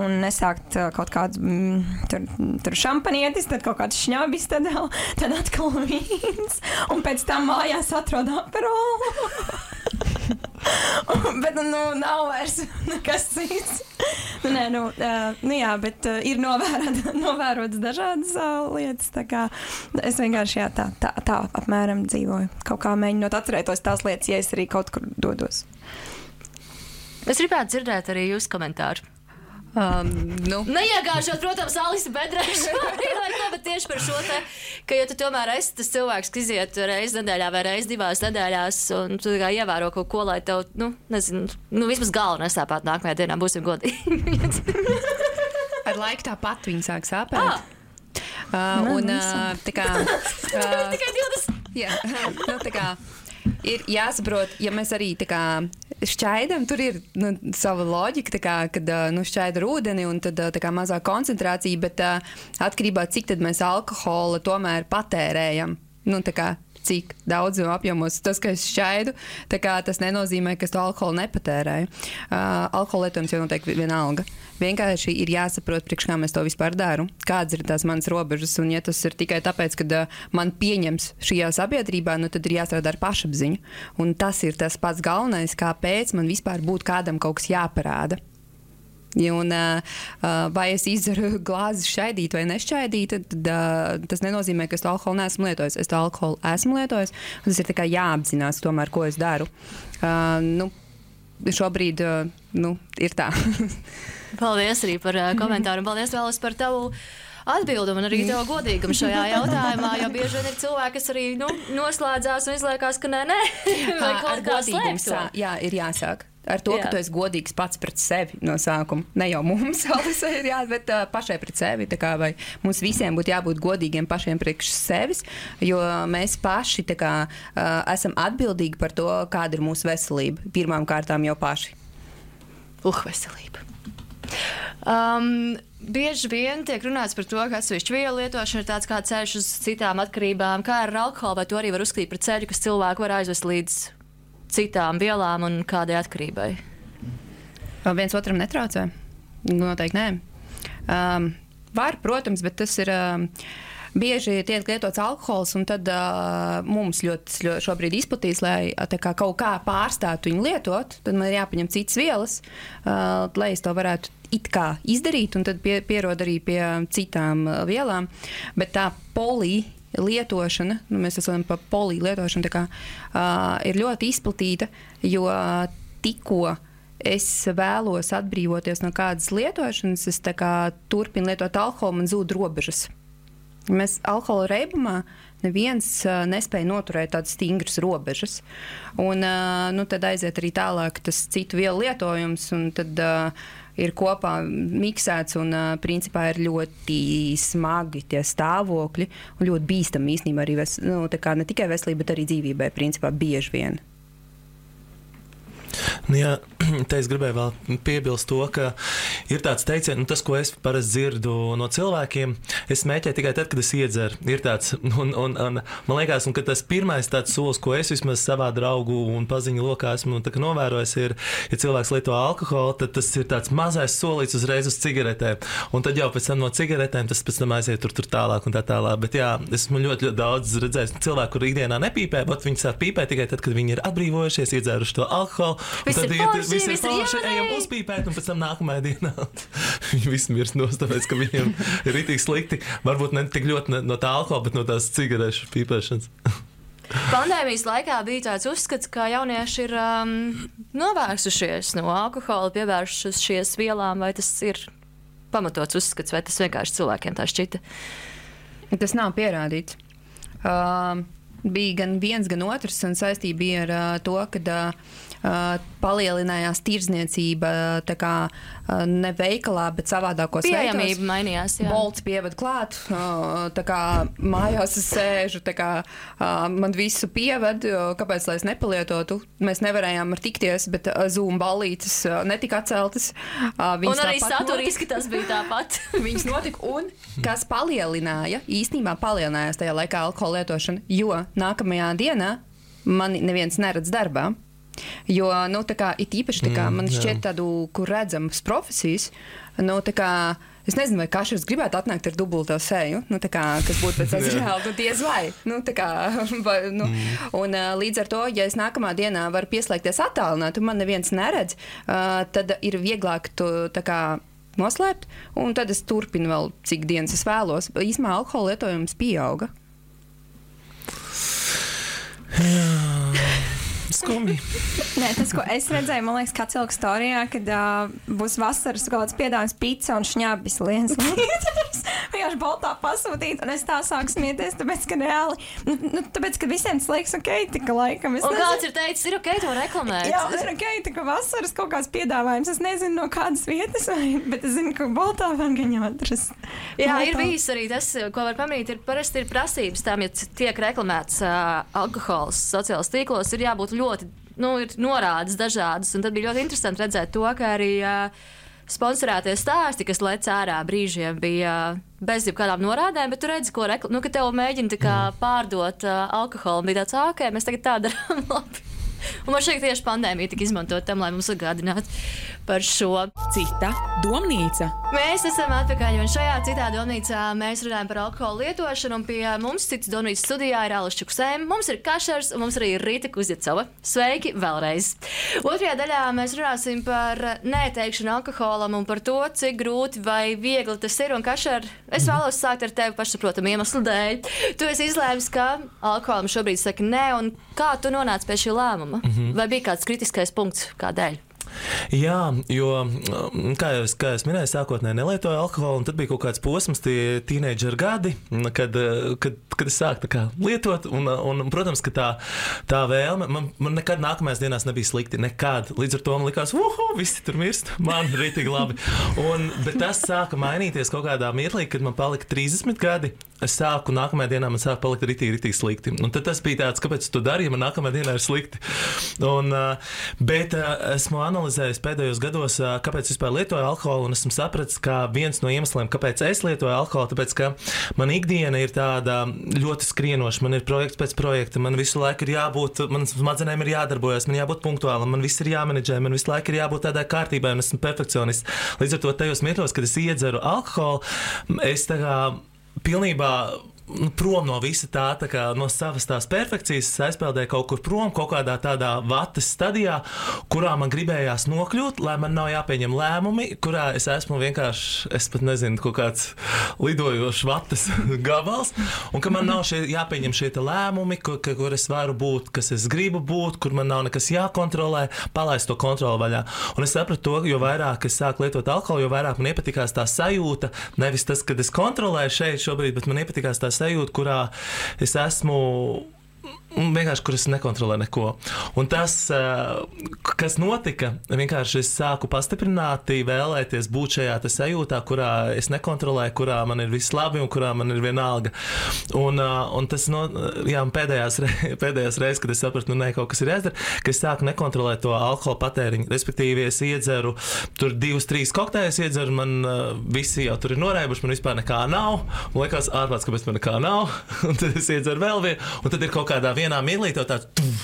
un nesākt uh, kaut kādus mm, tur, tur šampanietis, tad kaut kāds šņabis, tad, tad atkal vīns. Un pēc tam mājās atrod aperolu. Bet, nu, nav vairs nekas cits. Nu, nē, nu, uh, nu jā, bet uh, ir novērot, novērotas dažādas uh, lietas. Tā kā es vienkārši jā, tā, tā, tā apmēram dzīvoju. Kaut kā mēģinot atcerētos tās lietas, ja es arī kaut kur dodos. Es gribētu dzirdēt arī jūsu komentāru. Um, nu. Neiegāžot, protams, Alisa Bedrēša vai ko, bet tieši par šo te, ka ja tu tomēr esi tas cilvēks, kas iziet reizi nedēļā vai reizi divās nedēļās un tu kā ievēro kaut ko, lai tev, nu, nezinu, nu, vismaz galva nesāpāt nākamajā dienā, būsim godīgi. Ar laiku tāpat viņi sāk sāpēt. Ah. Uh, un, uh, tā kā... Uh, Tikai divdesmit. Jā, nu, tā kā... Ir jāsaprot, ja mēs arī tā kā šķaidam, tur ir nu, sava loģika, tā kā, kad nu, šķaida ar ūdeni un tad tā kā mazā koncentrācija, bet atkarībā cik tad mēs alkohola tomēr patērējam. Nu, tā kā cik daudz apjomos tas, ka es šķaidu, tā kā tas nenozīmē, ka es to alkoholu nepatērēju. Uh, alkohola lietojums jau noteikti vienalga. Vienkārši ir jāsaprot, priekš kā mēs to vispār daru, kādas ir tās manas robežas, un ja tas ir tikai tāpēc, ka uh, man pieņems šajā sabiedrībā, nu tad ir jāstrādā ar pašapziņu. Un tas ir tas pats galvenais, kāpēc man vispār būtu kādam kaut kas jāparāda. Un, uh, vai es izdaru glāzi šķaidīt vai nešķaidīt, tad uh, tas nenozīmē, ka es to alkoholu neesmu lietojis. Es to alkoholu esmu lietojis, un tas ir tikai jāapzinās tomēr, ko es daru. Uh, nu, šobrīd uh, nu, ir tā. Paldies arī par uh, komentāru, un paldies vēlas par tavu atbildumu un arī tev godīgumu šajā jautājumā, jo bieži vien ir cilvēki, kas arī nu, noslēdzās un izliekās, ka nē, nē, vai kaut kā slēpt to. Jā, ir jāsāk. Ar to, Jā. ka tu esi godīgs pats pret sevi no sākuma. Ne jau mums, Alisa, ir jā, bet uh, pašai pret sevi. Tā kā, vai mums visiem būtu jābūt godīgiem pašiem priekš sevis, jo mēs paši tā kā, uh, esam atbildīgi par to, kāda ir mūsu veselība. Pirmām kārtām jau paši. Uh, veselība. Um, bieži vien tiek runāts par to, ka atsevišķu vielu lietošana ir tāds kā ceļš uz citām atkarībām. Kā ar alkoholu, vai to arī var uzskatīt par ceļu, kas cilvēku var aizvest līdz citām vielām un kādai atkarībai? Viens otram netraucē? Noteikti nē. Um, var, protams, bet tas ir um, bieži tiek lietots alkohols, un tad uh, mums ļoti, ļoti šobrīd izplatīs, lai tā kā kaut kā pārstātu viņu lietot, tad man ir jāpaņem citas vielas, uh, lai es to varētu it kā izdarīt, un tad pie, pierod arī pie citām uh, vielām. Bet tā poli lietošana, nu, mēs esam par poli lietošanu, tā kā, uh, ir ļoti izplatīta, jo tikko es vēlos atbrīvoties no kādas lietošanas, es tā kā turpinu lietot alkoholu, man zūd robežas. Mēs alkohola reibumā neviens uh, nespēja noturēt tādas stingras robežas. Un uh, nu, tad aiziet arī tālāk tas citu vielu lietojums, un tad uh, ir kopā miksēts, un uh, principā ir ļoti smagi tie stāvokļi, un ļoti bīstami īstenībā arī ves, nu, tā kā ne tikai veselībai, bet arī dzīvībai, principā bieži vien. Nu, jā, te es gribēju vēl piebilst to, ka ir tāds teiciens, nu, tas, ko es parasti dzirdu no cilvēkiem, es smēķēju tikai tad, kad es iedzeru. Ir tāds, un, un, un man liekas, un, ka tas pirmais tāds solis, ko es vismaz savā draugu un paziņu lokā esmu novērojis, ir, ja cilvēks lieto alkoholu, tad tas ir tāds mazais solīts uzreiz uz cigaretēm. Un tad jau pēc tam no cigaretēm tas pēc tam aiziet tur, tur tālāk un tā tālāk. Bet jā, esmu ļoti, ļoti daudz redzējis cilvēku, kur ikdienā nepīpē, bet viņi sāk pīpēt tikai tad, kad viņi ir atbrīvojušies, iedzēruši to alkoholu. Viss ir forši, viss ir viss ir forši, ejam uzpīpēt, un pēc tam nākamajā dienā viņi visi mirst nost, tāpēc, ka viņiem ir ritīgi slikti. Varbūt ne tik ļoti no tā alkohola, bet no tās cigarešu pīpēšanas. Pandēmijas laikā bija tāds uzskats, ka jaunieši ir um, novērsušies no alkohola, pievēršušies vielām, vai tas ir pamatots uzskats, vai tas vienkārši cilvēkiem tā šķita? Tas nav pierādīts. Uh, bija gan viens, gan otrs, un saistība bija ar uh, to, ka uh, uh, palielinājās tirdzniecība, tā kā uh, ne veikalā, bet savādākos veidos. Pieejamība mainījās, jā. Bolts pievad klāt, uh, tā kā mājās es sēžu, tā kā uh, man visu pieved, uh, kāpēc, lai es nepalietotu. Mēs nevarējām ar tikties, bet uh, Zoom ballītes uh, netika atceltas. Uh, un arī saturiski tas bija tāpat. Viņas notika, un kas palielināja, īstenībā palielinājās tajā laikā alkohola lietošana, jo nākamajā dienā mani neviens neredz darbā. Jo, nu, tā kā, it īpaši, tā kā, mm, man šķiet tādu, kur redzamas profesijas, nu, tā kā, es nezinu, vai kašers gribētu atnākt ar dubulto seju, nu, tā kā, kas būtu pēc tas žēl, nu, diez vai, nu, tā kā, vai, nu, mm. un uh, līdz ar to, ja es nākamā dienā varu pieslēgties attālināt, un man neviens neredz, uh, tad ir vieglāk tu, tā kā, noslēpt, un tad es turpinu vēl, cik dienas es vēlos. Īsmā alkohola lietojums pieauga. Skumji. Nē, tas, ko es redzēju, man liekas, kā cilvēku storijā, kad uh, būs vasaras kaut kāds piedāvājums pizza un šņabis liens līdz. Vienkārši baltā pasūtīt, un es tā sāku smieties, tāpēc, ka reāli, nu, nu tāpēc, ka visiem tas liekas ok, tika laikam. Es un nezinu. Kāds ir teicis, ir ok to reklamēt? Jā, ir ok, tika vasaras kaut kāds piedāvājums. Es nezinu, no kādas vietas, vai, bet es zinu, ka baltā var gaņā atrast. Jā, baltā. Ir bijis arī tas, ko var pamanīt, ir parasti ir prasības tam, ja tiek reklamēts uh, alkohols sociālos tīklos, ir jābūt ļoti, nu, ir norādes dažādas, un tad bija ļoti interesanti redzēt to, ka arī uh, sponsorētie stāsti, kas lec ārā brīžiem, bija uh, bez jebkādām norādēm, bet tu redzi, ko rekl... nu, ka tev mēģina tā kā pārdot uh, alkoholu, un bija tāds, ok, mēs tagad tā darām labi. Un man šeit tieši pandēmija tika izmantot tam, lai mums atgādinātu par šo. Cita domnīca. Mēs esam atpakaļ, un šajā citā domnīcā mēs runājam par alkoholu lietošanu, un pie mums citas domnīcas studijā ir Alis Čukusēm, mums ir Kašers, un mums arī ir Rīta Kuzjacova. Sveiki vēlreiz! Otrajā daļā mēs runāsim par neteikšanu alkoholam un par to, cik grūti vai viegli tas ir, un Kašer, es vēlos sākt ar tevi pašsaprotamu iemeslu dēļ. Tu esi izlēmis, ka alkoholam šobrīd saka nē, un kā tu nonāc pie šī lēmuma? Mm-hmm. Vai bija kāds kritiskais punkts, kādēļ? Jā, jo, kā jau es, kā es minēju, sākotnēji nelietoju alkoholu, un tad bija kaut kāds posms, tie tīneidžera gadi, kad, kad, kad es sāku tā kā lietot, un, un, protams, ka tā, tā vēlme, man, man nekad nākamajās dienās nebija slikti, nekad. Līdz ar to man likās, uhu, visi tur mirst, man rītīgi labi. Un, bet tas sāka mainīties kaut kādā mirklī, kad man palika trīsdesmit gadi, es sāku, nākamajā dienā man sāka palikt rītīgi, rītīgi slikti. Un tad tas bija tāds, kāpēc tu dari, ja man nākamajā dienā ir slikti. Un, bet esmu analizējis pēdējos gados, kāpēc vispār lietoju alkoholu, un esmu sapratis, ka viens no iemesliem, kāpēc es lietoju alkoholu, tāpēc, ka man ikdiena ir tāda ļoti skrienoša, man ir projekts pēc projekta, man visu laiku ir jābūt, man smadzenēm ir jādarbojas, man jābūt punktuālam, man viss ir jāmenedžē, man visu laiku ir jābūt tādai kārtībai, un esmu perfekcionists. Līdz ar to tajos mirkļos, kad es iedzeru alkoholu, es tā kā pilnībā prom no visa tā, tā kā no savas tās perfekcijas, es aizpeldēju kaut kur prom, kaut kādā tādā vatas stadijā, kurā man gribējās nokļūt, lai man nav jāpieņem lēmumi, kurā es esmu vienkārši, es pat nezinu, kaut kāds lidojošs vatas gabals, un ka man nav šie, jāpieņem šie lēmumi, kur, kur es varu būt, kas es gribu būt, kur man nav nekas jākontrolē, palaist to kontroli vaļā. Un es sapratu to, jo vairāk es sāku lietot alkoholu, jo vairāk man iepatikās tā sajūta, nevis tas, kad es kontrolēju šeit šobrīd, bet man iepatikās tā sajūta, kurā es esmu vienkārši, kur es nekontrolēju neko. Un tas, kas notika, vienkārši es sāku pastiprināti vēlēties būt šajā sajūtā, kurā es nekontrolēju, kurā man ir viss labi un kurā man ir vienalga. Un, un tas no, jā, pēdējās, pēdējās reizes, kad es sapratu, nu, ne, kaut kas ir jāizdara, ka es sāku nekontrolēt to alkohola patēriņu. Respektīvi, es iedzeru tur divus, trīs kokteļus, iedzeru, man visi jau tur ir norēbuši, man vispār nekā nav. Man liekas, ārprāts, kāpēc man nekā nav. Un tad es iedzeru vēl vienu, un tad ir kaut kādā vienā mirklī tev tāds, tuf,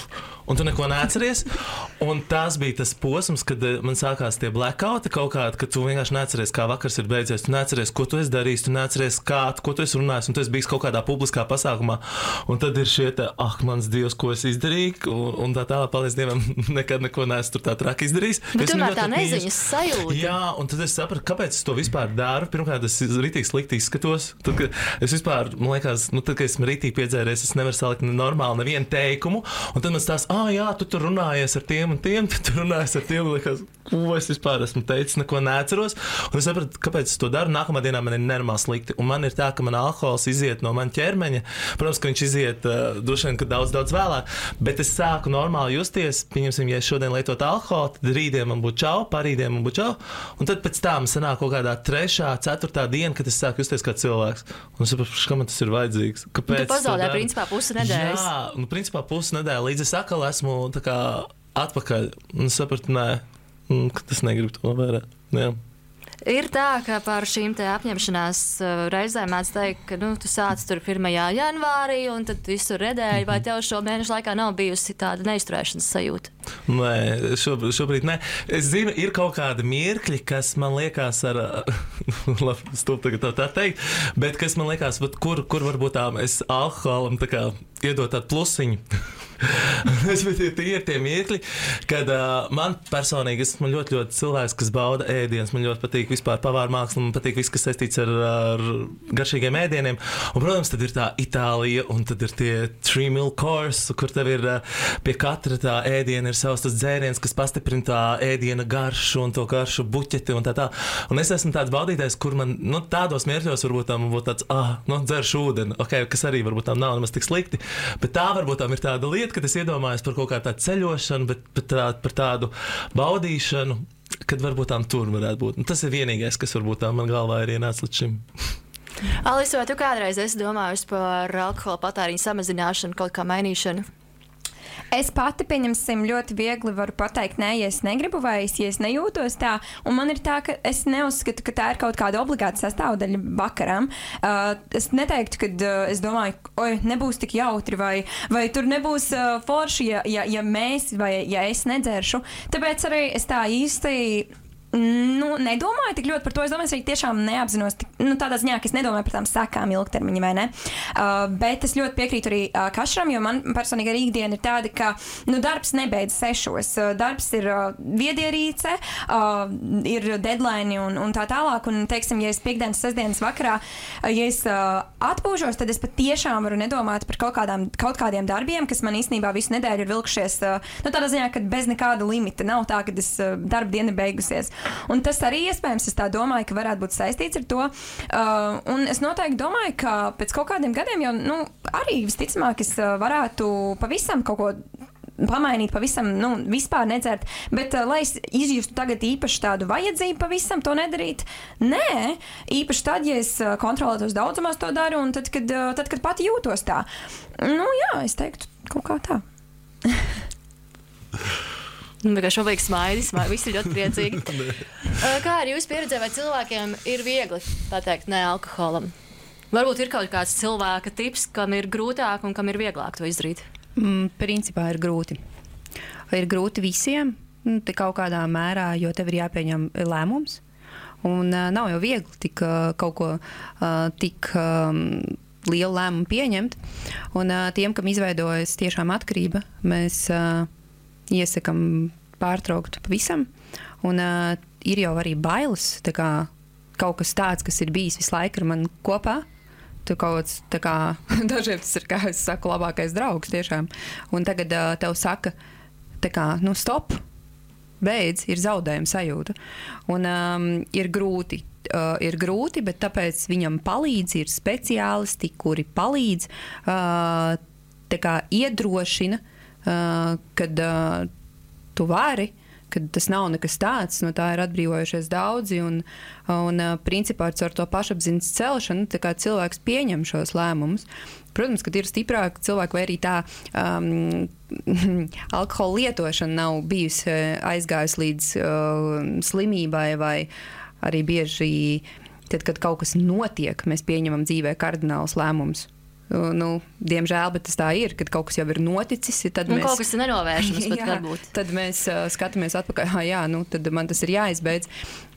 un tu neko neatceries. Un tas bija tas posms, kad man sākās tie blackouti kaut kādi, kad tu vienkārši neatceries, kā vakars ir beidzies, tu neatceries, ko tu esi darījis, tu neatceries, kā, ko tu esi runājis, un tu esi bijis kaut kādā publiskā pasākumā. Un tad ir šie te, ah, mans Dievs, ko es izdarīju, un, un tā tālāk, paldies Dievam, nekad neko neesmu tur tā traki izdarījis. Bet tomēr tā neziņas sajūta. Jā, un tad es sapratu, kāpēc es to vispār daru. Pirmkārt, es rītīgi slikti izskatos. Tad, kad es vispār, man liekas, nu, tad, kad esmu rītīgi piedzēries, es nevaru salikt normāli nevienu teikumu, un tad man tās, ah, jā, tu tur runājies ar tiem un tiem, tu tur runājies ar tiem, liekas, ko es vispār esmu teicis, neko neatceros. Un es sapratu, kāpēc es to daru. Nākamā dienā man ir nenormāli slikti. Un man ir tā, ka man alkohols iziet no man ķermeņa. Protams, ka viņš iziet uh, droši vien, ka daudz, daudz vēlāk. Bet es sāku normāli justies. Pieņemsim, ja es šodien lietotu alkoholu, tad rītdien man būtu čau, parītdien man būtu čau. Un tad pēc tam sanāk kaut kādā trešā, ceturtā diena, kad es sāku justies kā cilvēks. Un es sapratu, ka man tas ir vajadzīgs. Kāpēc? Tu pazaudē principā pusi nedēļas. Jā, nu principā pusi nedēļa. Līdz es atkal esmu tā kā atpakaļ. Un es sapratu, nē, ka tas negrib to vērēt. Jā. Ir tā, ka par šīm te apņemšanās reizēm mēdz teikt, ka nu, tu sāc tur pirmajā janvārī un tad visu redēļu, vai tev šo mēnešu laikā nav bijusi tāda neizturēšanas sajūta? Nē, šobrīd, šobrīd nē. Es zinu, ir kaut kādi mirkļi, kas man liekas ar, labi, stūp tagad tā teikt, bet kas man liekas, bet kur, kur varbūt tā es alkoholam tā kā iedot tādu plusiņu. Tie ir tie mirkļi, kad uh, man personīgi esmu ļoti, ļoti cilvēks, kas bauda ēdienas. Man ļoti patīk vispār pavāra māksla, man patīk viss, kas saistīts ar, ar garšīgiem ēdieniem. Un, protams, tad ir tā Itālija, un tad ir tie three meal course, kur tev ir uh, pie katra tā ēdiena ir savs tas dzēriens, kas pastiprina tā ēdiena garšu un to garšu buķeti un tā tā. Un es esmu tāds baudītājs, kur man, nu, tādos mirkļos varbūt tā man būtu tāds, ah, nu, dzeršu ūdeni, okay, kas arī varbūt tā nav nemaz tik slikti, bet tā varbūt tā ir tāda lieta, kad es iedomājos par kaut kādu tādu ceļošanu, bet par, tā, par tādu baudīšanu, kad varbūt tām tur varētu būt. Un tas ir vienīgais, kas varbūt tā man galvā ir ienācis līdz šim. Alisa, vai tu kādreiz esi domājusi par alkohola patēriņu samazināšanu, kaut kā mainīšanu? Es pati, pieņemsim, ļoti viegli varu pateikt, nē, ja es negribu vai es, ja es nejūtos tā. Un man ir tā, ka es neuzskatu, ka tā ir kaut kāda obligāta sastāvdaļa vakaram. Uh, es neteiktu, ka uh, es domāju, oi, nebūs tik jautri vai, vai tur nebūs uh, forši, ja, ja, ja mēs vai ja es nedzeršu. Tāpēc arī es tā īsti... Nu, nedomāju tik ļoti par to. Es domāju, es arī tiešām neapzinos, nu, tādā ziņā, ka es nedomāju par tām sekām ilgtermiņa, vai ne? Uh, bet es ļoti piekrītu arī uh, Kašram, jo man personīgi arī ikdiena ir tāda, ka, nu, darbs nebeidz sešos. Uh, darbs ir uh, viedierīce, uh, ir deadline un, un tā tālāk. Un, teiksim, ja es piekdienas, sestdienas vakarā, uh, ja es uh, atpūžos, tad es pat tiešām varu nedomāt par kaut, kādām, kaut kādiem darbiem, kas man īstenībā visu nedēļu ir vilkšies, uh, nu, tādā ziņā, ka bez nekāda limita. Nav tā, ka es uh, darba diena beigusies. Un tas arī iespējams, es tā domāju, ka varētu būt saistīts ar to. Uh, un es noteikti domāju, ka pēc kaut kādiem gadiem jau nu, arī visticamāk es uh, varētu pavisam kaut ko pamainīt, pavisam, nu, vispār nedzert. Bet, uh, lai es izjustu tagad īpaši tādu vajadzību pavisam to nedarīt, nē, īpaši tad, ja es uh, kontrolētos daudzumās to daru un tad, kad, uh, tad, kad pati jūtos tā. Nu, jā, es teiktu kaut kā tā. Šobrīd smaidis, visi ir ļoti priecīgi. Kā ar jūsu pieredzē, vai cilvēkiem ir viegli pateikt nē alkoholam? Varbūt ir kaut kāds cilvēka tips, kam ir grūtāk un kam ir vieglāk to izdarīt? Mm, principā ir grūti. Ir grūti visiem, te kaut kādā mērā, jo tev ir jāpieņem lēmums. Un uh, nav jau viegli tik, uh, kaut ko uh, tik um, lielu lēmumu pieņemt. Un uh, tiem, kam izveidojas tiešām atkarība, mēs... Uh, iesakam pārtraukt pavisam, un uh, ir jau arī bailes, tā kā kaut kas tāds, kas ir bijis visu laiku ar mani kopā. Tu kaut kāds, tā kā, dažiem tas ir, kā es saku, labākais draugs tiešām. Un tagad uh, tev saka, tā kā, nu stop, beidz, ir zaudējuma sajūta. Un um, ir grūti. Uh, ir grūti, bet tāpēc viņam palīdz, ir speciālisti, kuri palīdz, uh, tā kā iedrošina, Uh, kad uh, tu vari, kad tas nav nekas tāds, no tā ir atbrīvojušies daudzi, un, un uh, principā ar to pašapziņas celšanu tā kā cilvēks pieņem šos lēmumus. Protams, kad ir stiprāk cilvēki, vai arī tā um, alkohola lietošana nav bijusi aizgājusi līdz uh, slimībai, vai arī bieži, tad, kad kaut kas notiek, mēs pieņemam dzīvē kardinālus lēmumus. Nu, diemžēl, bet tas tā ir, kad kaut kas jau ir noticis. Tad un mēs, kaut kas ir nenovēršams pat jā, varbūt. Tad mēs uh, skatāmies atpakaļ, ah, jā, nu, tad man tas ir jāizbeidz.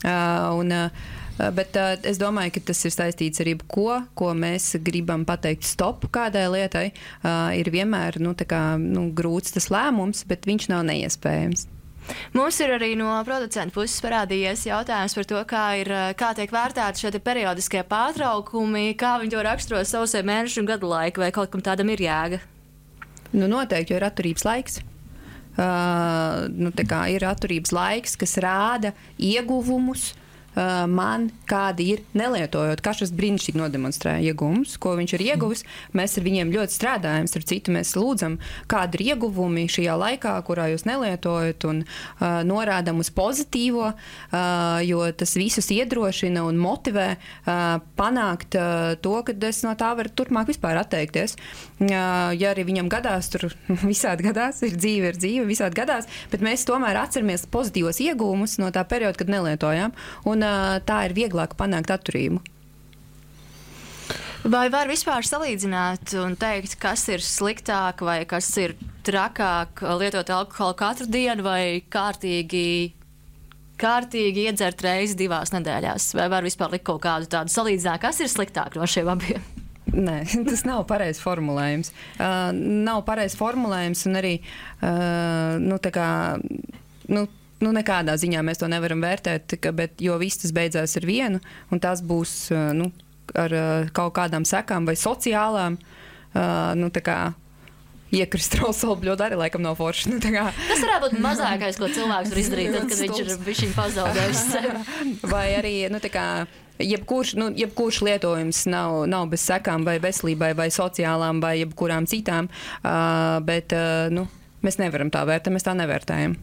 Uh, un, uh, bet uh, es domāju, ka tas ir saistīts ar jebko, ko mēs gribam pateikt stop kādai lietai. Uh, ir vienmēr nu, tā kā, nu, grūts tas lēmums, bet viņš nav neiespējams. Mums ir arī no producenta puses parādījies jautājums par to, kā, ir, kā tiek vērtēti šie periodiskie pārtraukumi, kā viņi to raksturo sausai mēnešu un gadu laiku, vai kaut kam tādam ir jēga? Nu, noteikti, jo ir atturības laiks. Uh, nu, tā kā ir atturības laiks, kas rāda ieguvumus uh, man, kādi ir nelietojot. Kašas brīnišķīgi nodemonstrē ieguvumus, ko viņš ir ieguvis. Mēs ar viņiem ļoti strādājam, ar citu mēs lūdzam, kādi ir ieguvumi šajā laikā, kurā jūs nelietojat, un uh, norādam uz pozitīvo, uh, jo tas visus iedrošina un motivē uh, panākt uh, to, ka es no tā varu turpmāk vispār atteikties. Uh, ja arī viņam gadās, tur visādi gadās, ir dzīve, ir dzīve, visādi gadās, bet mēs tomēr atceramies pozitīvos ieguvumus no tā perioda, kad nelietojām, un uh, tā ir vieglāk panākt atturību. Vai var vispār salīdzināt un teikt, kas ir sliktāk vai kas ir trakāk lietot alkoholu katru dienu vai kārtīgi, kārtīgi iedzert reizi divās nedēļās? Vai var vispār likt kaut kādu tādu salīdzinājumu, kas ir sliktāk no šiem abiem? Nē, tas nav pareizs formulējums. Uh, nav pareizs formulējums un arī, uh, nu, tā kā, nu, nu, nekādā ziņā mēs to nevaram vērtēt, ka, bet, jo viss tas beidzās ar vienu, un tas būs, uh, nu, ar uh, kaut kādām sekām vai sociālām, uh, nu, tā kā, iekrist rausolbļot arī laikam nav forši. Nu, kā... Tas varētu būt mazākais, ko cilvēks var izdarīt, tad, kad viņš ir bišķiņ pazaudējis sevi. Vai arī, nu, tā kā, jebkurš, nu, jebkurš lietojums nav, nav bez sekām vai veselībai vai sociālām vai jebkurām citām, uh, bet, uh, nu, mēs nevaram tā vērtēt, mēs tā nevērtējam.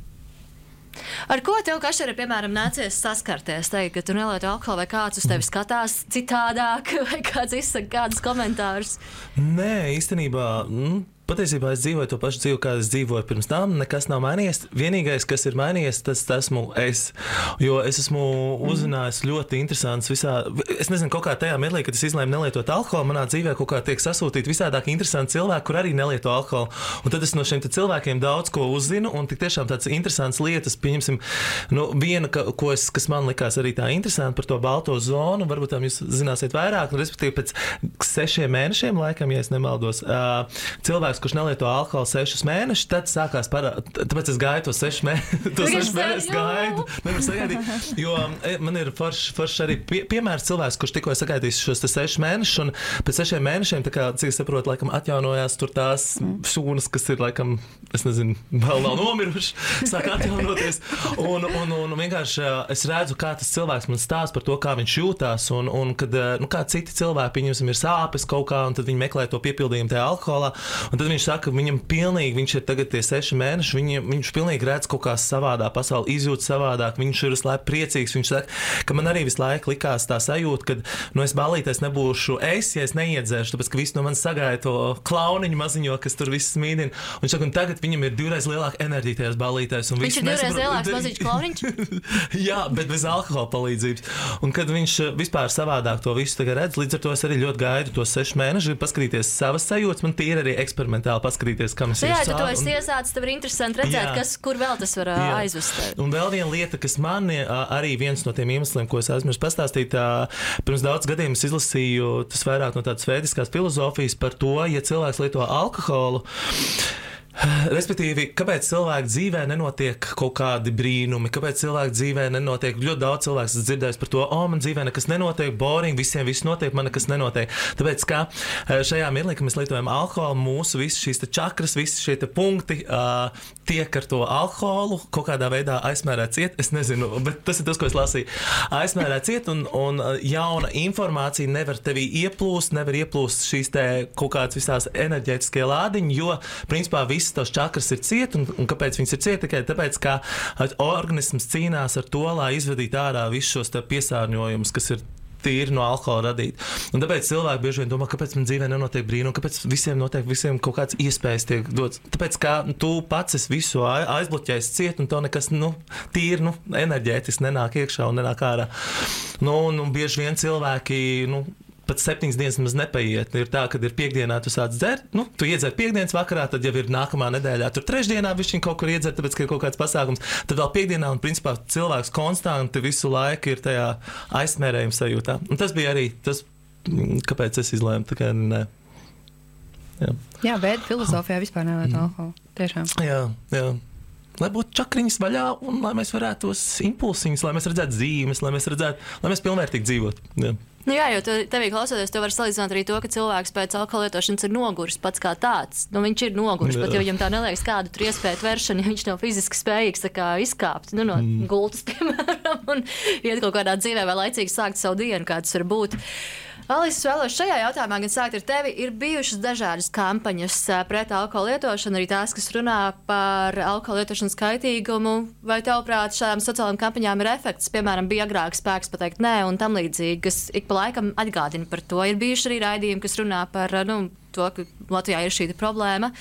Ar ko tev, Kašer, ir, piemēram, nācies saskarties? Teikt, ka tu nelieto alkoholu vai kāds uz tevi skatās citādāk vai kāds izsaka kādus komentārus? Nē, īstenībā... Mm. Patiesībā es dzīvoju to pašu dzīvi, kādu es dzīvoju pirms tam. Nekas nav mainījies. Vienīgais, kas ir mainījies, tas esmu es. Jo es esmu uzzinājis ļoti interesants visā. Es nezinu, kaut kā tajā mirklī, kad es izlēmu nelietot alkoholu, manā dzīvē kaut kā tiek sasūtīti visādāk interesanti cilvēki, kur arī nelieto alkoholu. Un tad es no šiem cilvēkiem daudz ko uzzinu, un tik tiešām tāds interesants lietas, pieņemsim, nu, viena, ka, ko es, kas man likās arī tā interesanti par to balto zonu, varbūt tam jūs zināsiet vairāk, un respektīvi pēc sešiem mēnešiem, laikam, ja es nemaldos, uh, cilvēki kurš nelieto alkoholu sešus mēnešus, tad sākās parādīt, tāpēc es gāju to sešus mēnešus, to sešus mēnešus gaidu, nevar sagaidīt, jo man ir foršs forš arī pie, piemērs cilvēks, kurš tikko sagaidījis šos te sešus mēnešus, un pēc sešiem mēnešiem, tā kā, cik es saprotu, laikam atjaunojās tur tās šūnas, kas ir, laikam, es nezinu, vēl nav nomiruši, sāk atjaunoties, un, un, un vienkārši es redzu, kā tas cilvēks man stāsta par to, kā viņš jūtās, un, un kad, nu, kā citi cilvēki, viņam ir sāpes kaut kā, un tad viņi meklē to piepildījumu tajā alkoholā, un tad viņš saka, ka viņam pilnīgi, viņš ir tagad tie seši mēneši, viņam, viņš pilnīgi redz kaut kā savādā pasauli, izjūt savādāk, viņš ir visu laiku priecīgs, viņš saka, ka man arī visu laiku likās tā sajūta, ka, nu, es ballītēs nebūšu es, ja es neiedzēršu, tāpēc, ka visi no manis sagaida to klauniņu maziņo, kas tur viss smīdina, un viņš saka, un tagad viņam ir divreiz lielāka enerģija tajās ballītēs. Un viņš ir divreiz lielāks maziņš klauniņš? Jā, bet bez alkohola palīdzības. Un kad viņš vispār savādāk to visu tagad redz, līdz ar to es arī ļoti gaidu tos sešus mēnešus, paskatīties savas sajūtas, man tīri arī eksperimentāli paskatīties, kam es jā, ir ja tu esi un... iesācis, tev ir interesanti redzēt, jā. Kas, kur vēl tas var jā. Aizvest. Un vēl viena lieta, kas man arī viens no tiem iemesliem, ko es aizmirsu pastāstīt, pirms daudz gadiem es izlasīju tas vairāk no tādas vēdiskās filozofijas par to, ja cilvēks lieto alkoholu, respektīvi, kāpēc cilvēku dzīvē nenotiek kaut kādi brīnumi, kāpēc cilvēku dzīvē nenotiek, ļoti daudz cilvēks ir dzirdējis par to, o, man dzīvē nekas nenotiek, boring, visiem viss notiek, man nekas nenotiek. Tāpēc, kā šajā mirklī, kad mēs lietojam alkoholu, mūsu visas šīs te čakras, visi šie te punkti uh, tiek ar to alkoholu kaut kādā veidā aizmērēt ciet, es nezinu, bet tas ir tas, ko es lasīju. Aizmērēt ciet un, un jauna informācija nevar tevī ieplūst, nevar ieplūst šīs te kaut kādas visās enerģētiskie lādiņi, jo, principā, visi tos čakras ir ciet, un, un kāpēc viņas ir ciet? Tikai tāpēc, ka organisms cīnās ar to, lai izvedītu ārā visus šos piesārņojumus, kas ir tīri no alkohola radīti. Un tāpēc cilvēki bieži vien domā, kāpēc man dzīvē nenotiek brīnumi, kāpēc visiem notiek, visiem kaut kāds iespējas tiek dots. Tāpēc, ka tu pats esi visu aizbloķējis ciet, un to nekas, nu, tīri, nu, enerģētiski nenāk iekšā un nenāk ārā. Nu, un, un bieži vien cilvēki, nu, pat septiņas dienas maz nepaiet. Ir tā, kad ir piekdienā tu sāc dzert, nu, tu iedzer piekdienas vakarā, tad jau ir nākamā nedēļā. Tur trešdienā viņš kaut kur iedzer, tāpēc, ka ir kaut kāds pasākums. Tad vēl piekdienā, un principā cilvēks konstanti visu laiku ir tajā aizsmērējuma sajūtā. Un tas bija arī tas, kāpēc es izlēmu, tā kā nē. Jā, jā bet filozofijā vispār nelieto alkoholu. Tiešām. Jā, jā. Lai būtu čakriņas vaļā un lai mēs varētu tos impulsiņus, lai mēs redzētu zīmes, lai mēs redzētu, lai mēs pilnvērtīgi dzīvot. Jā. Nu jā, jo tu, tevī klausoties, tev var salīdzināt arī to, ka cilvēks pēc alkohola lietošanas ir noguris pats kā tāds. Nu, viņš ir noguris, pat ja viņam tā neliekas kādu tur iespēju tvēršanu, ja viņš nav fiziski spējīgs tā kā izkāpt nu, no mm. gultas, piemēram, un iet kaut kādā dzīvē vai laicīgi sākt savu dienu, kā tas var būt. Alis, es vēlos šajā jautājumā gan sākt ar tevi. Ir bijušas dažādas kampaņas pret alkohola lietošanu, arī tās, kas runā par alkohola lietošanas kaitīgumu. Vai tavuprāt šādām sociālām kampaņām ir efekts? Piemēram, bija agrāk spēks pateikt nē un tam līdzīgi, kas ik pa laikam atgādina par to. Ir bijuši arī raidījumi, kas runā par nu, to, ka Latvijā ir šī problēma.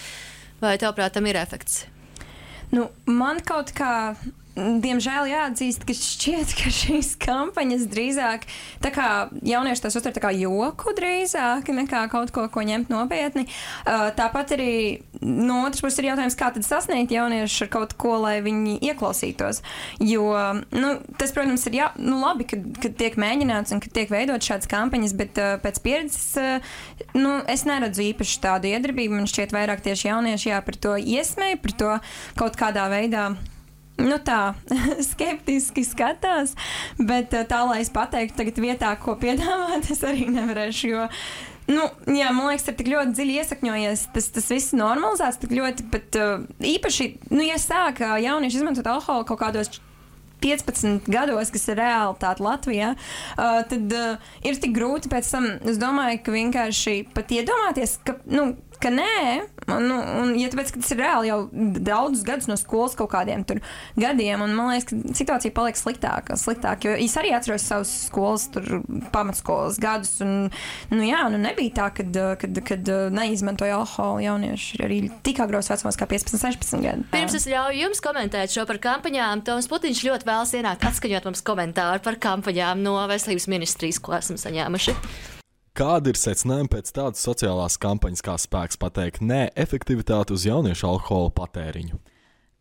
Vai tavuprāt tam ir efekts? Nu, man kaut kā... Diemžēl jāatzīst, ka šķiet, ka šīs kampaņas drīzāk tā kā jaunieši tās uztver tā kā joku drīzāk nekā kaut ko, ko ņemt nopietni. Uh, tāpat arī no otras puses ir jautājums, kā tad sasniegt jauniešus ar kaut ko, lai viņi ieklausītos. Jo, nu, tas, protams, ir jā, nu, labi, kad, kad tiek mēģināts un kad tiek veidot šādas kampaņas, bet uh, pēc pieredzes, uh, nu, es neredzu īpaši tādu iedarbību. Man šķiet vairāk tieši jaunieši jā, par to iesmēja, par to kaut kādā veidā nu tā, skeptiski skatās, bet tā, lai es pateiktu tagad vietā, ko piedāvāt, es arī nevarēšu, jo, nu, jā, man liekas, ir tik ļoti dziļi iesakņojies, tas, tas viss normalizēts, tik ļoti, bet uh, īpaši, nu, ja sāk jaunieši izmantot alkoholu kaut kādos piecpadsmit gados, kas ir realitāte Latvijā, uh, tad uh, ir tik grūti pēc tam, es domāju, ka vienkārši pat iedomāties, ka, nu, ka nē, nu, un ja tāpēc, ka tas ir reāli jau daudzus gadus no skolas kaut kādiem tur gadiem, un man liekas, ka situācija paliek sliktāka, sliktāk, jo es arī atceros savus skolas, tur pamatskolas gadus, un, nu jā, nu nebija tā, kad, kad, kad neizmantoja alkoholu jaunieši arī tik agros vecumos kā piecpadsmit, sešpadsmit gadi. Pirms es ļauju jums komentēt šo par kampaņām, Toms Putiņš ļoti vēlas ienākt atskaņot mums komentāru par kampaņām no Veselības ministrijas, ko esam saņēmuši. Kāda ir secinājuma pēc tādas sociālās kampaņas, kā spēks pateikt nē, efektivitāte uz jauniešu alkohola patēriņu?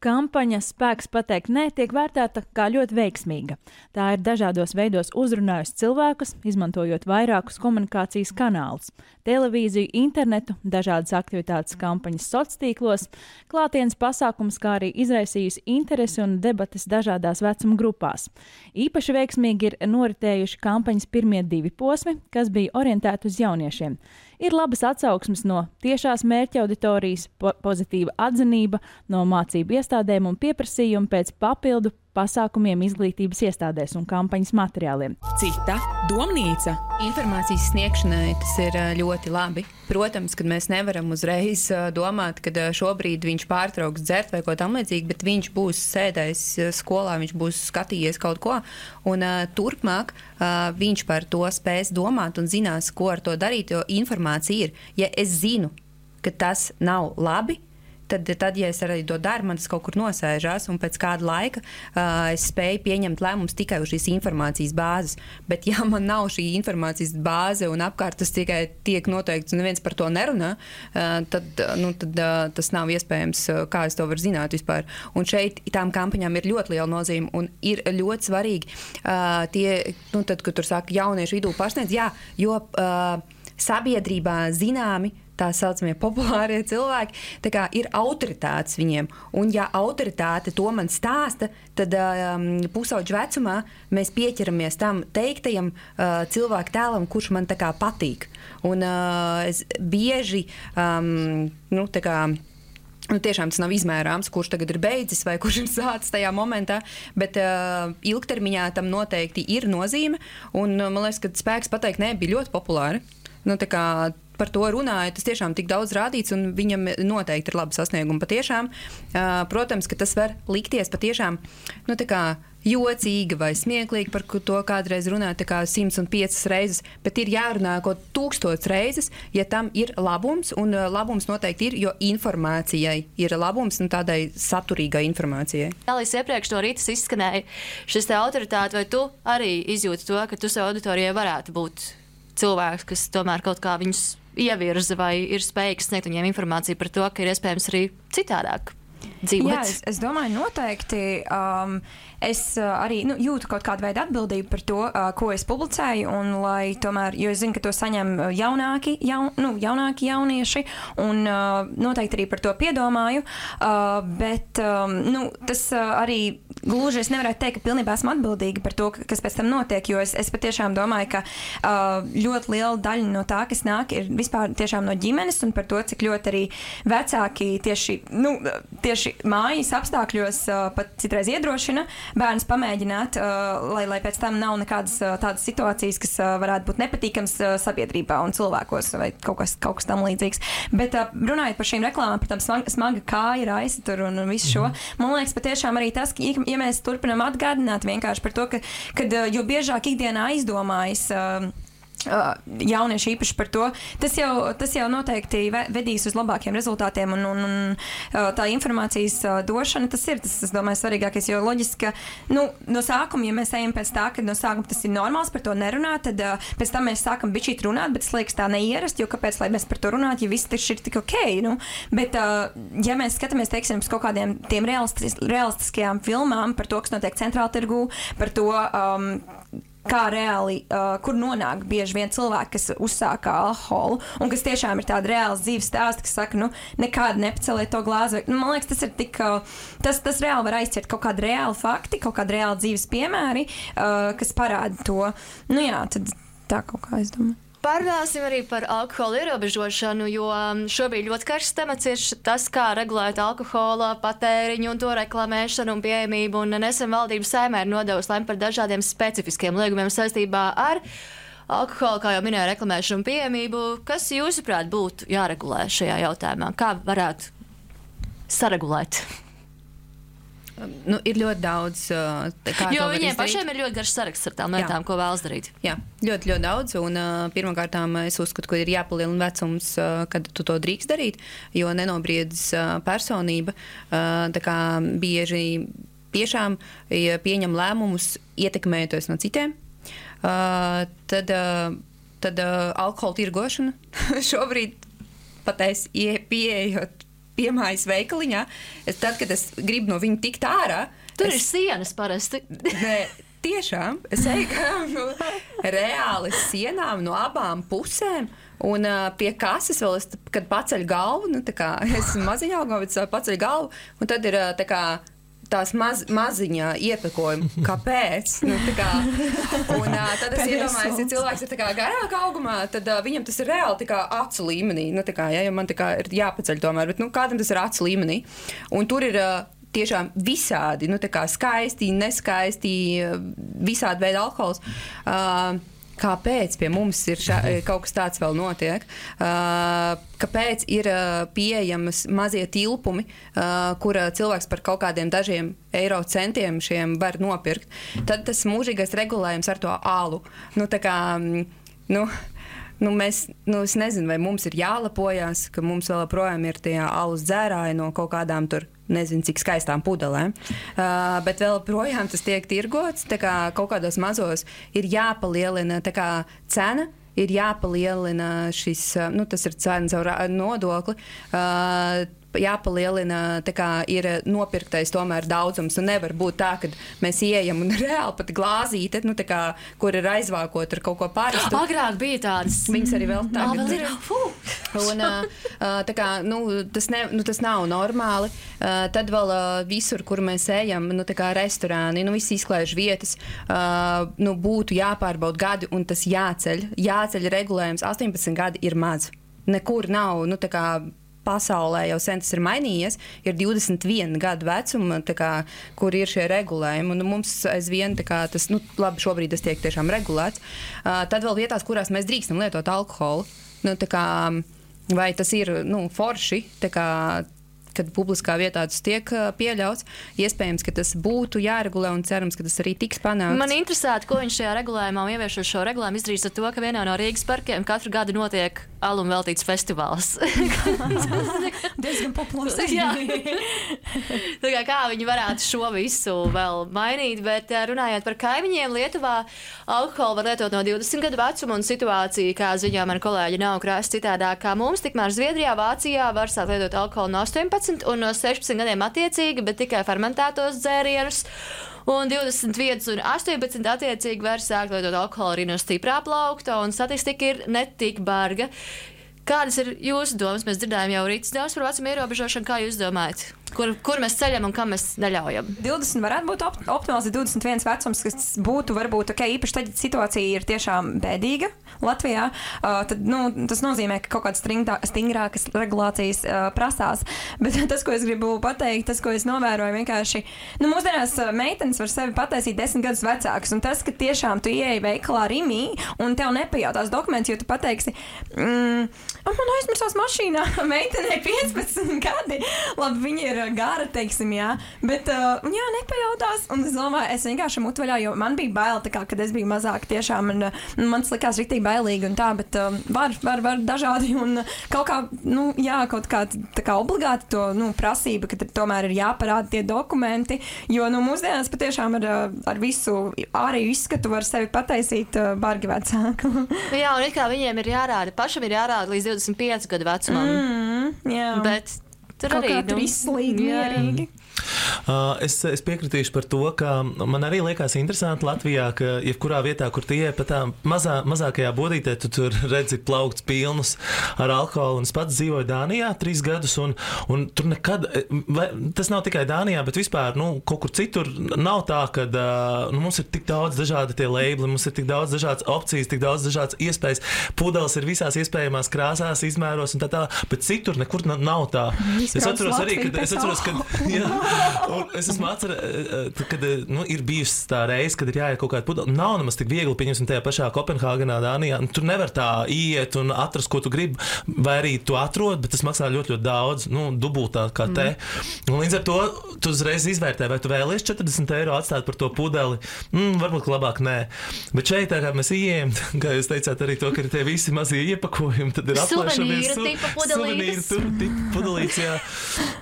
Kampaņa spēks pateikt nē tiek vērtēta kā ļoti veiksmīga. Tā ir dažādos veidos uzrunājusi cilvēkus, izmantojot vairākus komunikācijas kanālus – televīziju, internetu, dažādas aktivitātes kampaņas sociālos tīklos, klātienes pasākums, kā arī izraisījusi interesi un debates dažādās vecuma grupās. Īpaši veiksmīgi ir noritējuši kampaņas pirmie divi posmi, kas bija orientēti uz jauniešiem. Ir labas atsauksmes no tiešās mērķa auditorijas, po- pozitīva atzinība no mācību iestādēm un pieprasījumi pēc papildu pasākumiem izglītības iestādēs un kampaņas materiāliem. Cita domnīca. Informācijas sniegšanai tas ir ā, ļoti labi. Protams, kad mēs nevaram uzreiz ā, domāt, ka šobrīd viņš pārtrauks dzert vai ko tam līdzīgi, bet viņš būs sēdējis skolā, viņš būs skatījies kaut ko, un ā, turpmāk ā, viņš par to spēs domāt un zinās, ko ar to darīt, jo informācija ir. Ja es zinu, ka tas nav labi, Tad, tad, ja es arī to daru, man tas kaut kur nosēžās, un pēc kāda laika uh, es spēju pieņemt lēmumus tikai uz šīs informācijas bāzes. Bet, ja man nav šī informācijas bāze un apkārt tas tikai tiek noteikts un neviens par to nerunā, uh, tad, nu, tad uh, tas nav iespējams, uh, kā es to varu zināt vispār. Un šeit tām kampaņām ir ļoti liela nozīme un ir ļoti svarīgi uh, tie, nu, tad, kad tur saka jauniešu vidū pašniedz, jā, jo uh, sabiedrībā zināmi tā saucamie populārie cilvēki, tā kā ir autoritātes viņiem. Un ja autoritāte to man stāsta, tad um, pusauģu vecumā mēs pieķeramies tam teiktajam uh, cilvēku tēlam, kurš man tā kā patīk. Un uh, es bieži, um, nu, tā kā, nu, tiešām tas nav izmērāms, kurš tagad ir beidzis vai kurš ir sācis tajā momentā, bet uh, ilgtermiņā tam noteikti ir nozīme. Un uh, man liekas, ka spēks pateikt nē bija ļoti populāri. Nu, tā kā par to runāja, tas tiešām tik daudz rādīts, un viņam noteikti ir labi sasniegumi patiešām. Uh, protams, ka tas var likties patiešām, nu, tā kā jocīgi vai smieklīgi, par to kādreiz runāt tā kā simts un piecas reizes, bet ir jārunā kaut tūkstots reizes, ja tam ir labums, un labums noteikti ir, jo informācijai ir labums, un tādai saturīgai informācijai. Alis, iepriekš no rītas izskanēja šis te autoritāte, vai tu arī izjūti to, ka tu savu auditorijai varētu būt cilvēks, kas tomēr kaut kā viņus ievirza vai ir spējīgs sniegt viņiem informāciju par to, ka ir iespējams arī citādāk dzīvot? Jā, es, es domāju, noteikti. Um, es uh, arī nu, jūtu kaut kādu veidu atbildību par to, uh, ko es publicēju, un lai tomēr, jo es zinu, ka to saņem jaunāki, jaun, nu, jaunāki jaunieši, un uh, noteikti arī par to piedomāju, uh, bet um, nu, tas uh, arī gluži es nevarētu teikt, ka pilnībā esmu atbildīga par to, kas pēc tam notiek, jo es, es patiešām domāju, ka uh, ļoti liela daļa no tā, kas nāk, ir vispār tiešām no ģimenes un par to, cik ļoti arī vecāki tieši, nu, tieši mājas apstākļos uh, pat citreiz iedrošina bērnus pamēģināt, uh, lai, lai pēc tam nav nekādas uh, tādas situācijas, kas uh, varētu būt nepatīkams uh, sabiedrībā un cilvēkos vai kaut kas, kaut kas tam līdzīgs. Bet uh, runājot par šīm reklāmām, par tām smaga, smaga kāja raisa tur un, un visu šo, man liekas patiešām arī tas, ka, ja mēs turpinām atgādināt vienkārši par to, ka, kad, uh, jo biežāk ikdienā aizdomājas uh, Uh, jaunieši īpaši par to, tas jau, tas jau noteikti vedīs uz labākiem rezultātiem un, un, un uh, tā informācijas uh, došana, tas ir, tas, es domāju, svarīgākais, jo loģiski, ka, nu, no sākuma, ja mēs ejam pēc tā, ka no sākuma tas ir normāls par to nerunāt, tad uh, pēc tam mēs sākam bišķīt runāt, bet es liekas tā neierast, jo kāpēc, lai mēs par to runāt, ja viss taču ir tik ok, nu, bet, uh, ja mēs skatāmies, teiksim, uz kaut kādiem tiem realistis, realistiskajām filmām par to, kas notiek centrāla tirgū, par to, um, kā reāli, uh, kur nonāk bieži vien cilvēki, kas uzsāka alkoholu, un kas tiešām ir tāda reāls dzīves stāsta, kas saka, nu, nekādi nepaceliet to glāzi. Nu, man liekas, tas ir tik, uh, tas, tas reāli var aizķert kaut kādi reāli fakti, kaut kādi reāli dzīves piemēri, uh, kas parāda to. Nu jā, tad tā kaut kā, es domāju. Parunāsim arī par alkohola ierobežošanu, jo šobrīd ļoti karsts temats ir tas, kā regulēt alkohola patēriņu un to reklamēšanu un pieejamību. Un nesen valdības Saeimē ir nodevusi lēmumu par dažādiem specifiskiem liegumiem saistībā ar alkoholu, kā jau minēju, reklamēšanu un pieejamību. Kas, jūsuprāt, būtu jāregulē šajā jautājumā? Kā varētu saregulēt? Nu, ir ļoti daudz. Kā jo viņiem pašiem ir ļoti garš saraksts ar tām lietām, ko vēlas darīt. Jā, ļoti, ļoti daudz. Un uh, pirmkārt, es uzskatu, ka ir jāpalielina vecums, uh, kad tu to drīkst darīt, jo nenobriedz uh, personība. Uh, tā kā bieži tiešām ja pieņem lēmumus, ietekmējoties no citiem. Uh, tad uh, tad uh, alkohola tirgošana šobrīd pat es pieejot piemājas veikaliņā, es, tad, kad es gribu no viņa tikt ārā... Tur es, ir sienas parasti. Nē, tiešām. Es eju garām no reāli sienām no abām pusēm, un uh, pie kases vēl es, kad paceļ galvu, nu tā kā, es maziņā augumā, bet paceļ galvu, un tad ir uh, tā kā tās maz, maziņā iepakojumi. Kāpēc? Nu, tā kā, un uh, tad es iedomājos, ja cilvēks ir tā kā garāka augumā, tad uh, viņam tas ir reāli tā kā acu līmenī. Nu, tā kā, ja, jo man tā kā ir jāpaceļ tomēr, bet nu, kādam tas ir acu līmenī. Un tur ir uh, tiešām visādi, nu, tā kā skaisti, neskaisti, visādi veidi alkohols. Uh, Kāpēc pie mums ir šā, kaut kas tāds vēl notiek? Uh, kāpēc ir uh, pieejamas mazie tilpumi, uh, kur cilvēks par kaut kādiem dažiem eiro centiem šiem var nopirkt? Tad tas mūžīgais regulējums ar to alu. Nu, tā kā, nu, nu, mēs, nu, es nezinu, vai mums ir jālepojās, ka mums vēl projām ir tie alus dzērāji no kaut kādām tur, nezinu, cik skaistām pudelēm, uh, bet vēl projām tas tiek tirgots, tā kā kaut kādos mazos ir jāpalielina tā kā cena, ir jāpalielina šis, nu, tas ir cena caur nodokli, uh, jāpalielina, tā kā ir nopirktais tomēr daudzums, un nevar būt tā, ka mēs ieejam un reāli pat glāzīte, nu, tā kā, kur ir aizvākot ar kaut ko parastu. Agrāk bija tādas. Viņas arī vēl tagad. Vēl ir. Un, tā kā, nu, tas, ne, nu, tas nav normāli. Tad vēl visur, kur mēs ejam, nu, tā kā restorāni, nu, viss izklaiž vietas, nu, būtu jāpārbauda gadi, un tas jāceļ. Jāceļ regulējums. astoņpadsmit gadi ir maz. Nekur nav, nu, tā kā, pasaulē jau sen tas ir mainījies, ir divdesmit viena gadu vecuma, tā kā, kur ir šie regulējumi, un mums aizvien tā kā tas, nu, labi, šobrīd tas tiek tiešām regulēts. Uh, tad vēl vietās, kurās mēs drīkstam lietot alkoholu, nu, tā kā, vai tas ir, nu, forši, tā kā, kad publiskā vietā tas tiek pieļauts, iespējams, ka tas būtu jāregulē un cerams, ka tas arī tiks panākts. Man interesētu, ko viņš šajā regulējumā un ieviešot šo regulējumu izdarīs ar to, ka vienā no Rīgas parkiem katru gadu notiek alum veltīts festivāls. Diezgan populārs. Jā. Tā kā, kā viņi varētu šo visu vēl mainīt, bet runājot par kaimiņiem, Lietuvā alkoholu var lietot no divdesmit gadu vecuma un situācija, kā ziņā man kolēģi nav krāsa citādāk kā mums, tikmēr Zviedrijā, Vācijā var sākt lietot alkoholu no astoņpadsmit un no sešpadsmit gadiem attiecīgi, bet tikai fermentētos dzērienus. Un divdesmit viens un astoņpadsmit attiecīgi var sākt lietot alkoholu arī no stiprā plaukta, un statistika ir netik barga. Kādas ir jūsu domas? Mēs dzirdējām jau Rītas domas par vecuma ierobežošanu. Kā jūs domājat? kur, kur mēs ceļam un kam mēs neļaujam. divdesmit varētu būt op optimāls, divdesmit viens vecums, kas būtu varbūt ok, īpaši tad, ja situācija ir tiešām bēdīga Latvijā, uh, tad nu, tas nozīmē, ka kaut kādas stingrākas regulācijas uh, prasās. Bet tas, ko es gribu pateikt, tas, ko es novēroju, vienkārši, nu, mūsdienās uh, meitenes var sevi pataisīt desmit gadus vecākus, un tas, ka tiešām tu ieeji veikalā Rimī un tev nepajautās dokumentus, jo tu pateiksi, mm, man aizmirsās mašīnā, meitenei piecpadsmit gadi, labi, viņa ir gara, teiksim, jā, bet, uh, jā, nepajautās, un es domāju, es vienkārši mutvaļā, jo man bija baila, tā kā, kad es biju mazāk tiešām, un, un man tas likās riktīgi bailīgi un tā, bet um, var, var, var dažādi, un kaut kā, nu, jā, kaut kā, tā kā obligāti to, nu, prasība, ka tomēr ir jāparāda tie dokumenti, jo, nu, mūsdienās patiešām ar, ar visu ārēju izskatu var sevi pataisīt uh, bargi vecāku. Jā, un it kā viņiem ir jārāda, pašam ir jārāda līdz divdesmit pieci gadu vecumam. Mm, jā. Bet tur kaut arī, kā tur izslīgi, mierīgi. Uh, es, es piekritīšu par to, ka man arī liekas interesanti Latvijā, ka jebkurā vietā, kur tie ir pat tā mazā, mazākajā bodītē, tu tur redzi plaukts pilnus ar alkoholu, un es pats dzīvoju Dānijā trīs gadus, un, un tur nekad, vai, tas nav tikai Dānijā, bet vispār, nu, kaut kur citur nav tā, ka uh, nu, mums ir tik daudz dažādi tie labeli, mums ir tik daudz dažādas opcijas, tik daudz dažādas iespējas, pudeles ir visās iespējamās krāsās, izmēros un tā tā, bet citur nekur nav tā. Es atceros arī, kad, es atceros, kad, jā, un es esmu atcerējies, kad nu, ir bijusi tā reize, kad ir jāiet kaut kāda pudele. Nav nemaz tik viegli, pieņemsim, tajā pašā Kopenhāgenā, Dānijā. Tur nevar tā iet un atrast, ko tu gribi, vai arī tu atrod, bet tas maksā ļoti, ļoti daudz, nu, dubultā kā te. Mm. Un līdz ar to tu uzreiz izvērtē, vai tu vēlies četrdesmit eiro atstāt par to pudeli. Mm, varbūt labāk nē. Bet šeit, tā kā mēs ieejam, kā jūs teicāt arī to, ka ir tie visi mazie iepakojumi, tad ir aplēšamies. Suvenīru tipa pudelītes. Suvenīru tipa pudelītes, jā.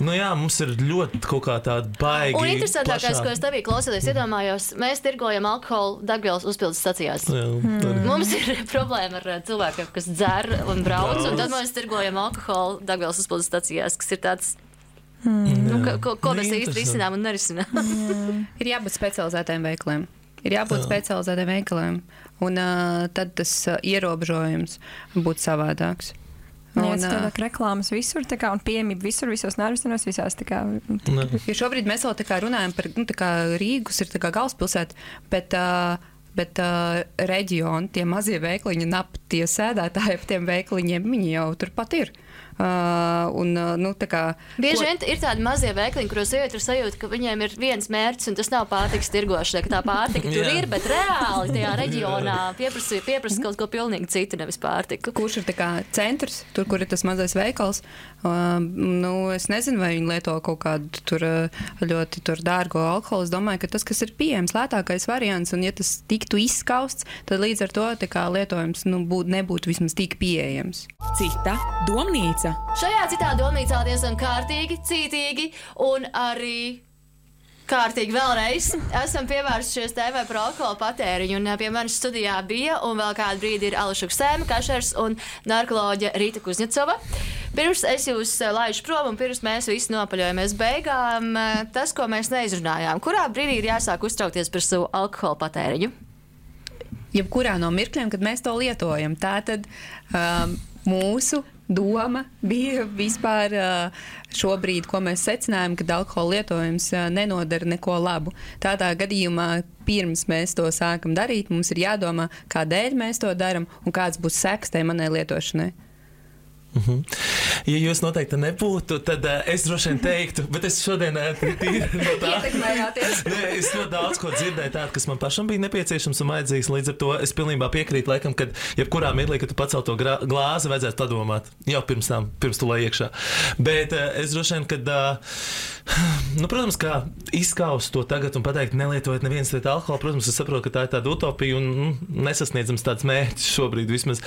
Nu jā, mums ir ļoti kaut kā tāda baigi. Un interesantākais, ko es tevī klausoties, iedomājos, mēs tirgojam alkoholu degvielas uzpildes stacijās. Jā, mm. Mums ir problēma ar cilvēkiem, kas dzer un brauc, un tad mēs tirgojam alkoholu degvielas uzpildes stacijās, kas ir tāds, mm. nu, ko, ko mēs īsti risinām un nerisinām. Ir jābūt specializētiem veikaliem. Ir jābūt Jā. specializētiem veikaliem. Un uh, tad tas uh, ierobežojums būtu savādāks. Jā, tas tādā kā reklāmas visur, tā kā, un pieejamība visur, visos nervistenos, visās, tā kā. Jo šobrīd mēs vēl tā kā runājam par, nu, tā kā Rīgas ir tā kā galvaspilsēta, bet, uh, bet uh, reģioni, tie mazie veikliņi un ap tie sēdētāji ap tiem veikliņiem, viņi jau turpat ir. Uh, un, uh, nu, tā kā, Bieži vien ko... ir tādi mazie veikliņi, kuros iet ar sajūtu, ka viņiem ir viens mērķis, un tas nav pārtikas tirgošana, ka tā pārtika tur ir, bet reāli tajā reģionā pieprasa, pieprasa kaut ko pilnīgi citu, nevis pārtiku. Kurš ir tā kā centrs, tur, kur ir tas mazais veikals, uh, nu, es nezinu, vai viņi lieto kaut kādu tur ļoti tur dārgo alkoholu. Es domāju, ka tas, kas ir pieejams, lētākais variants, un ja tas tiktu izskausts, tad līdz ar to tā kā lietojums nu, būt, nebūtu vismaz tik pieejams. Cita domnīca. Šajā citā domnīcā diezgan kārtīgi, cītīgi un arī kārtīgi vēlreiz esam pievērsušies tēmai par alkohola patēriņu. Un pie manis studijā bija un vēl kādu brīdi ir Ališa Ksēma Kašers un narkoloģe Rīta Kuzņecova. Pirms es jūs laižu prom un pirms mēs visi nopaļojamies beigām, tas, ko mēs neizrunājām. Kurā brīdī ir jāsāk uztraukties par savu alkohola patēriņu? Jebkurā no mirkļiem, kad mēs to lietojam. Tātad um, mūsu doma bija vispār šobrīd, ko mēs secinājām, ka alkohola lietojums nenodara neko labu. Tādā gadījumā, pirms mēs to sākam darīt, mums ir jādomā, kādēļ mēs to daram un kāds būs seks tai manai lietošanai. Uh-huh. Ja jūs noteikti nebūtu, tad uh, es droši vien teiktu, bet es šodien uh, tīri no tā. Ietekmējāties. Nē, es ļoti daudz ko dzirdēju tādu, kas man pašam bija nepieciešams un vajadzīgs. Līdz ar to es pilnībā piekrītu, laikam, kad jebkurā mirklī, kad tu pacel to grā, glāzi, vajadzētu padomāt jau pirms tam, pirms tu lai iekšā. Bet uh, es droši vien, kad, uh, nu, protams, kā izskaust to tagad un pateikt, nelietojiet neviens liet alkoholu, protams, es saprotu, ka tā ir tāda utopija un mm, nesasniedzams tāds mērķis šobrīd vismaz.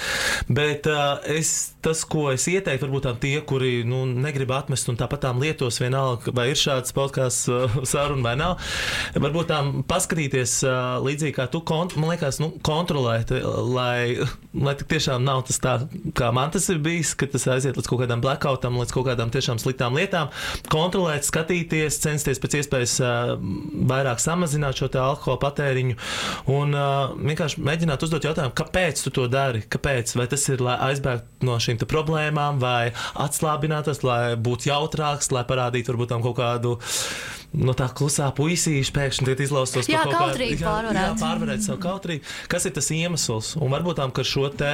Bet uh, es, tas, ko es ieteiktu, varbūt tām tie, kuri nu, negrib atmest un tāpat tām lietos vienalga, vai ir šāds podcasts uh, saruna vai nav, varbūt tām paskatīties uh, līdzīgi kā tu, kont- man liekas, nu, kontrolēt, lai, lai tik tiešām nav tas tā, kā man tas ir bijis, ka tas aiziet līdz kaut kādām blackoutam, līdz kaut kādām tiešām sliktām lietām, kontrolēt, skatīties, censties pēc iespējas uh, vairāk samazināt šo te alkohola patēriņu un uh, vienkārši mēģināt uzdot jautājumu, kāpēc tu to dari, kāpēc, vai tas ir, lai aizbēgtu no šīm te problēmām, vai atslābinātos, lai būtu jautrāks, lai parādītu varbūt tam kaut kādu no tā klusā puisīša pēkšņi tiek izlaustos jā, par kaut kādu kādu, jā, jā, pārvarēt savu kautrību. Kas ir tas iemesls? Un varbūt tām, ka šo te,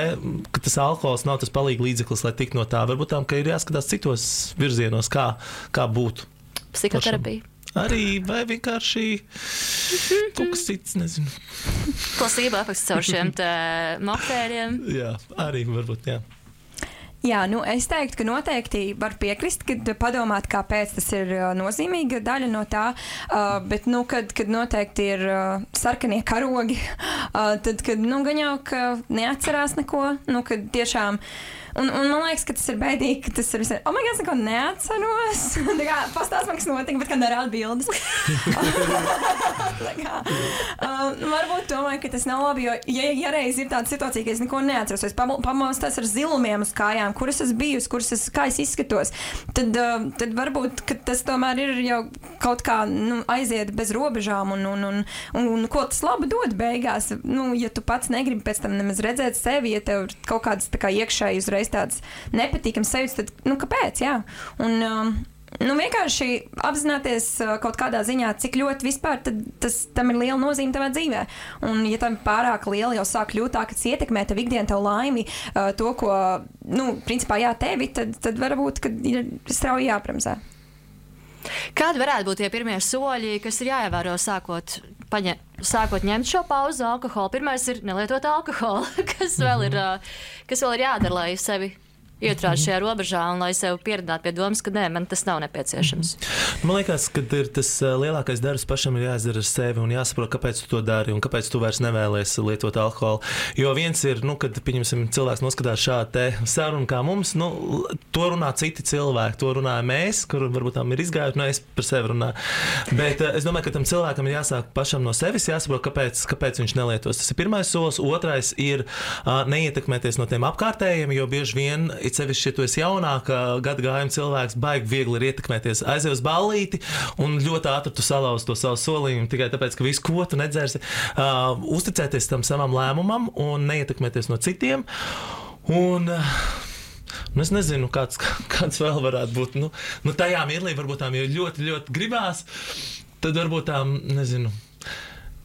ka tas alkohols nav tas palīga līdzeklis, lai tik no tā, varbūt tām, ka ir jāskatās citos virzienos, kā, kā būtu. Psihoterapija. Arī, vai vienkārši kaut kas cits, nezinu. Plasība efekts caur šiem te moktēriem. Jā, arī varbūt, jā. Jā, nu es teiktu, ka noteikti var piekrist, kad padomāt, kāpēc tas ir uh, nozīmīga daļa no tā, uh, bet, nu, kad, kad noteikti ir uh, sarkanie karogi, uh, tad, kad, nu, gan jau, ka neatcerās neko, nu, kad tiešām, un, un man liekas, ka tas ir bēdīgi, ka tas ir visai, oh my God, es neko neatceros, tā kā pastāst man, kas notika, bet kā nerāda bildes. Tā kā, uh, varbūt domāju, ka tas nav labi, jo, ja, ja reiz ir tāda situācija, ka es neko neatceros, es pamostos ar zilumiem uz kājām, kuras es biju, kuras es, kā es izskatos, tad, uh, tad varbūt, ka tas tomēr ir jau kaut kā, nu, aiziet bez robežām un, un, un, un, un ko tas labi dod beigās. Nu, ja tu pats negribi pēc tam nemaz redzēt sevi, ja tev ir kaut kādas tā kā iekšēji uzreiz tādas nepatīkams sajūtas, tad, nu, kāpēc, jā. Un, um, Nu, vienkārši apzināties uh, kaut kādā ziņā, cik ļoti vispār tad, tas, tam ir liela nozīme tavā dzīvē. Un, ja tam pārāk liela jau sāk kļūt tā, ka tas ietekmē tev ikdienu, tev laimi, uh, to, ko, nu, principā jā, tevi, tad, tad varbūt, ka ir strauji jāpremzē. Kādi varētu būt tie pirmie soļi, kas ir jāievēro sākot, paņem, sākot ņemt šo pauzu alkoholu? Pirmais ir nelietot alkoholu, kas vēl ir, uh, kas vēl ir jādara, lai sevi ieturēt šajā robežā un lai sev pieradinātu pie domas, ka nē, man tas nav nepieciešams. Man liekas, ka ir tas lielākais darbs pašam ir jāizdara ar sevi un jāsaprot, kāpēc tu to dari un kāpēc tu vairs nevēlies lietot alkoholu. Jo viens ir, nu, kad, pieņemsim, cilvēks noskatās šādu te sarunu kā mums, nu, to runā citi cilvēki, to runāja mēs, kur varbūt tam ir izgājuši, nu, es par sevi runāju. Bet es domāju, ka tam cilvēkam ir jāsāk pašam no sevis, jāsaprot, kāpēc, kāpēc viņš nelietos. Tas ir pirmais solis. Otrais ir uh, neietekmēties no tiem apkārtējiem, jo bieži vien it sevišķi, ja tu esi jaunāka gadu gājuma cilvēks, baigi viegli ir ietekmēties. Aizies uz ballīti un ļoti ātri tu salauz to savu solījumu tikai tāpēc, ka visu, ko tu nedzersi, uh, uzticēties tam savam lēmumam un neietekmēties no citiem. Un uh, nu es nezinu, kāds, kāds vēl varētu būt. Nu, nu tajā mirklī varbūt tām jau ļoti, ļoti gribās, tad varbūt tām, nezinu,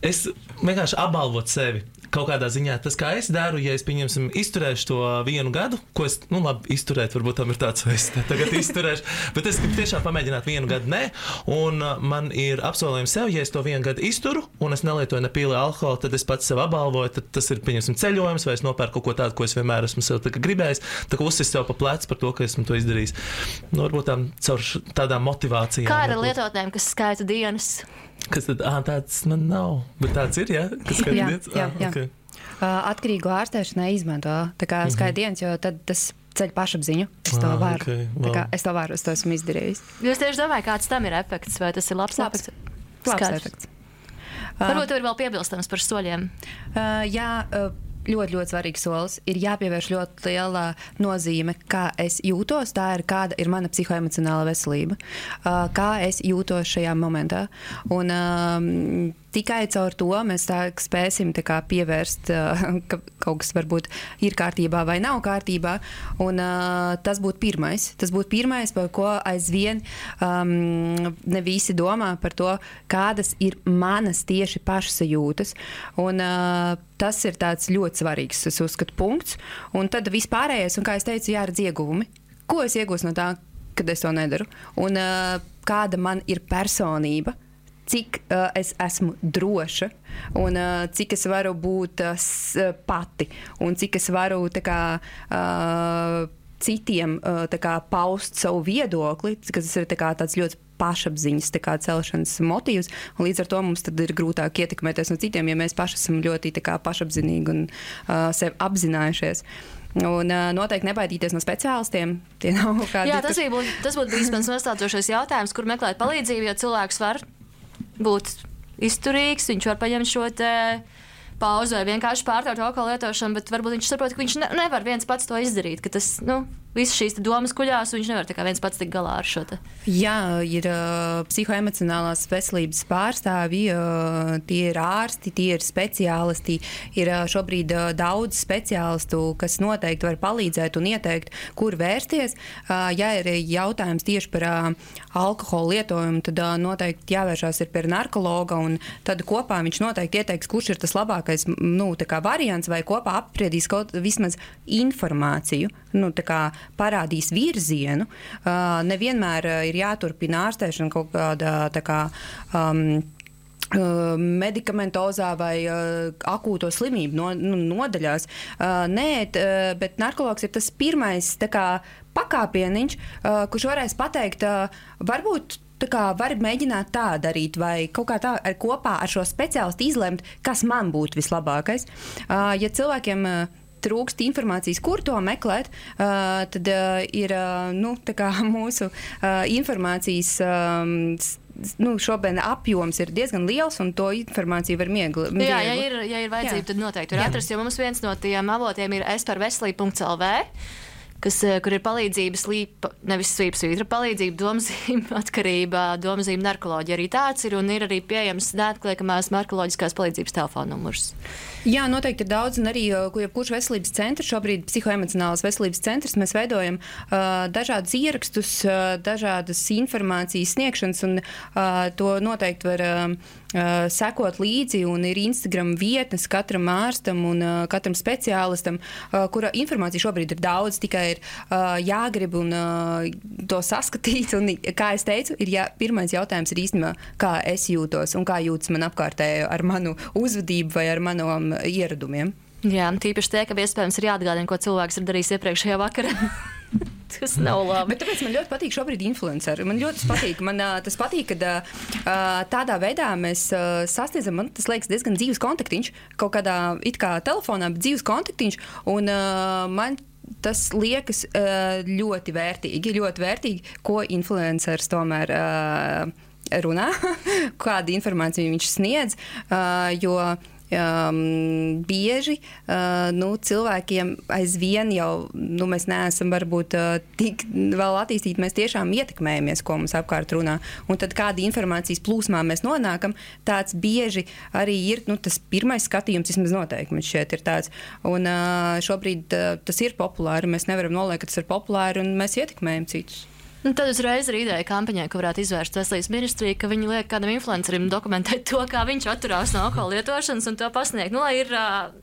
es vienkārši apbalvot sevi. Kaut kādā ziņā tas, kā es daru, ja es, pieņemsim, izturēšu to vienu gadu, ko es, nu labi, izturēt, varbūt tam ir tāds, vai es tagad izturēšu, bet es gribu tiešām pamēģināt vienu gadu, ne, un man ir apsolījums sev, ja es to vienu gadu izturu, un es nelietoju nepīli alkoholu, tad es pats sev apbalvoju, tad tas ir, pieņemsim, ceļojums, vai es nopērku kaut ko tādu, ko es vienmēr esmu sev gribējis, tā kā uzsis sev pa plecu par to, ka esmu to izdarījis. Nu, varbūt tam caur tādām motivācijām. Kā ar lietotnēm, kas skaita dienas? Kas tad? Ā, tāds man nav, bet tāds ir, jā? Kas skaita jā, dienas? jā, jā. Okay. Uh, atkarīgo ārstēšanai izmanto tā kā Mhm. skaita dienas, jo tad tas ceļ pašapziņu. Es to Ah, varu. okay, Tā kā wow. es to varu, es to esmu izdarījis. Jūs tieši domājat, kāds tam ir efekts, vai tas ir labs, Labs. efekts? Labs Skaidrs. efekts. Varbūt tev ir vēl piebilstams par soļiem. Uh, jā, uh, ļoti, ļoti svarīgs solis. Ir jāpievērš ļoti liela nozīme, kā es jūtos. Tā ir kāda ir mana psihoemocionāla veselība. Uh, kā es jūtos šajā momentā. Un um, tikai caur to mēs tā spēsim tā kā pievērst, uh, ka kaut kas varbūt ir kārtībā vai nav kārtībā. Un uh, tas būtu pirmais. Tas būtu pirmais, par ko aizvien um, ne visi domā par to, kādas ir manas tieši pašsajūtas. Un uh, tas ir tāds ļoti svarīgs, es uzskatu, punkts. Un tad vispārējais, un kā es teicu, jāredz ieguvumi. Ko es iegūstu no tā, kad es to nedaru? Un uh, kāda man ir personība? Cik uh, es esmu droša, un uh, cik es varu būt uh, s, uh, pati, un cik es varu tā kā, uh, citiem uh, tā kā, paust savu viedokli, kas ir tā kā, tāds ļoti pašapziņas tā kā, celšanas motīvs, un līdz ar to mums tad ir grūtāk ietekmēties no citiem, ja mēs paši esam ļoti tā kā, pašapzinīgi un uh, sevi apzinājušies. Un uh, noteikti nebaidīties no speciālistiem. Tie nav kādi. Jā, tas, būt, tas būtu bijis mans nostādzošais jautājums, kur meklēt palīdzību, jo cilvēks var būt izturīgs, viņš var paņemt šo te pauzi vai vienkārši pārtraukt alkohola lietošanu, bet varbūt viņš saprot, ka viņš ne, nevar viens pats to izdarīt, ka tas, nu, visas šīs domas kuļās, un viņš nevar tā kā viens pats tikt galā ar šo te. Jā, ir uh, psihoemocionālās veselības pārstāvji, uh, tie ir ārsti, tie ir speciālisti, ir uh, šobrīd uh, daudz speciālistu, kas noteikti var palīdzēt un ieteikt, kur vērsties. Uh, ja ir jautājums tieši par uh, alkohola lietojumu, tad uh, noteikti jāvēršās ir pie narkologa, un tad kopā viņš noteikti ieteiks, kurš ir tas labākais nu, tā kā variants, vai kopā apspriedīs kaut vismaz informāciju, nu, tā kā parādīs virzienu. Uh, nevienmēr uh, ir jāturpina ārstēšana kaut kādā tā kā um, uh, medikamentozā vai uh, akūto slimību no, nu, nodaļās. Uh, nē, t, uh, bet narkologs ir tas pirmais tā kā pakāpieniņš, uh, kurš varēs pateikt, uh, varbūt tā kā var mēģināt tā darīt, vai kaut kā tā ar, kopā ar šo speciālistu izlemt, kas man būtu vislabākais. Uh, ja cilvēkiem uh, trūkst informācijas, kur to meklēt, uh, tad uh, ir uh, nu, tā kā mūsu uh, informācijas um, nu, šobrīd apjoms ir diezgan liels, un to informāciju var miegli. Jā, ja ir, ja ir vajadzība, jā. Tad noteikti var atrast, jo mums viens no tiem avotiem ir es par veselību punkts el vē, kas, kur ir palīdzība slīpa, nevis slīpsvītra, palīdzība domzīme, atkarība, domzīme, narkoloģija arī tāds ir, un ir arī pieejams neatliekamās narkoloģiskās palīdzības telefona numurs. Jā, noteikti ir daudz, un arī jebkurš veselības centrs, šobrīd psihoemocionālās veselības centrs, mēs veidojam uh, dažādus ierakstus, uh, dažādas informācijas sniegšanas, un uh, to noteikti var uh, uh, sekot līdzi, un ir Instagram vietnes katram ārstam un uh, katram speciālistam, uh, kura informācija šobrīd ir daudz, tikai ir uh, jāgrib un uh, to saskatīt, un, kā es teicu, ir jā, pirmais jautājums ir īstenībā, kā es jūtos un kā jūtas man apkārtējo ar manu uzvedību vai ar manu ieradumiem. Jā, tīpaši tie, ka iespējams ir jāatgādina, ko cilvēks ir darījis iepriekšējā vakarā. Tas nav labi. Bet tāpēc man ļoti patīk šobrīd influenceri. Man ļoti patīk, man uh, tas patīk, kad uh, tādā veidā mēs uh, sasniedzam, man tas liekas diezgan dzīves kontaktiņš, kaut kādā it kā telefonā, bet dzīves kontaktiņš, un uh, man tas liekas uh, ļoti vērtīgi, ļoti vērtīgi, ko influenceris tomēr uh, runā, kādu informāciju viņš sniedz, uh, jo Um, bieži uh, nu, cilvēkiem aizvien jau nu, mēs neesam varbūt uh, tik vēl attīstīti, mēs tiešām ietekmējamies, ko mums apkārt runā. Un tad kāda informācijas plūsmā mēs nonākam, tāds bieži arī ir nu, tas pirmais skatījums, vismaz noteikti man šķiet ir tāds. Un uh, šobrīd uh, tas ir populāri, mēs nevaram noliekt, ka tas ir populāri, un mēs ietekmējam citus. Nu, tad uzreiz ir ideja kampaņai, ko varētu izvērst veselības ministrija, ka viņi liek kādam influencerim dokumentēt to, kā viņš atturās no alkohola lietošanas un to pasniegt. Nu, lai ir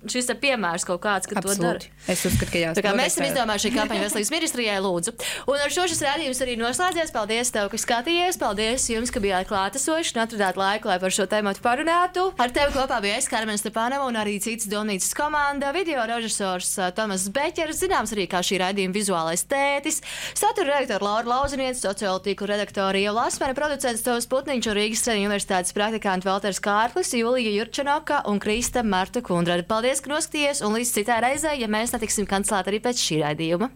šis te piemērs kaut kāds, ka Absolūti. To dara. Es uzskatu, ka jā. Tā kā mēs esam izdomājuši šī kampaņa veselības ministrijai, lūdzu. Un ar šo šis rādījums arī noslēdzies. Paldies tev, ka skatījies. Paldies jums, ka bijāt klātesoši un atradāt laiku, lai par šo tēmatu parunātu. Ar tevi kopā bija es, Karmen Stepanova, un arī citas domnīcas komanda, video režisors Tomas Beķers, zināms arī kā šī raidījuma vizuālais tētis, satura redaktora Laura Lauziniece, sociālo tīklu redaktori Ieva Lasmane, producents Tovs Putniņš un Rīgas Stradiņu universitātes praktikanti Valters Kārklis, Julija Jurčanoka un Krista Marta Kundrade. Paldies, ka noskatījies, un līdz citai reizei, ja mēs netiksim kancelēt arī pēc šī raidījuma.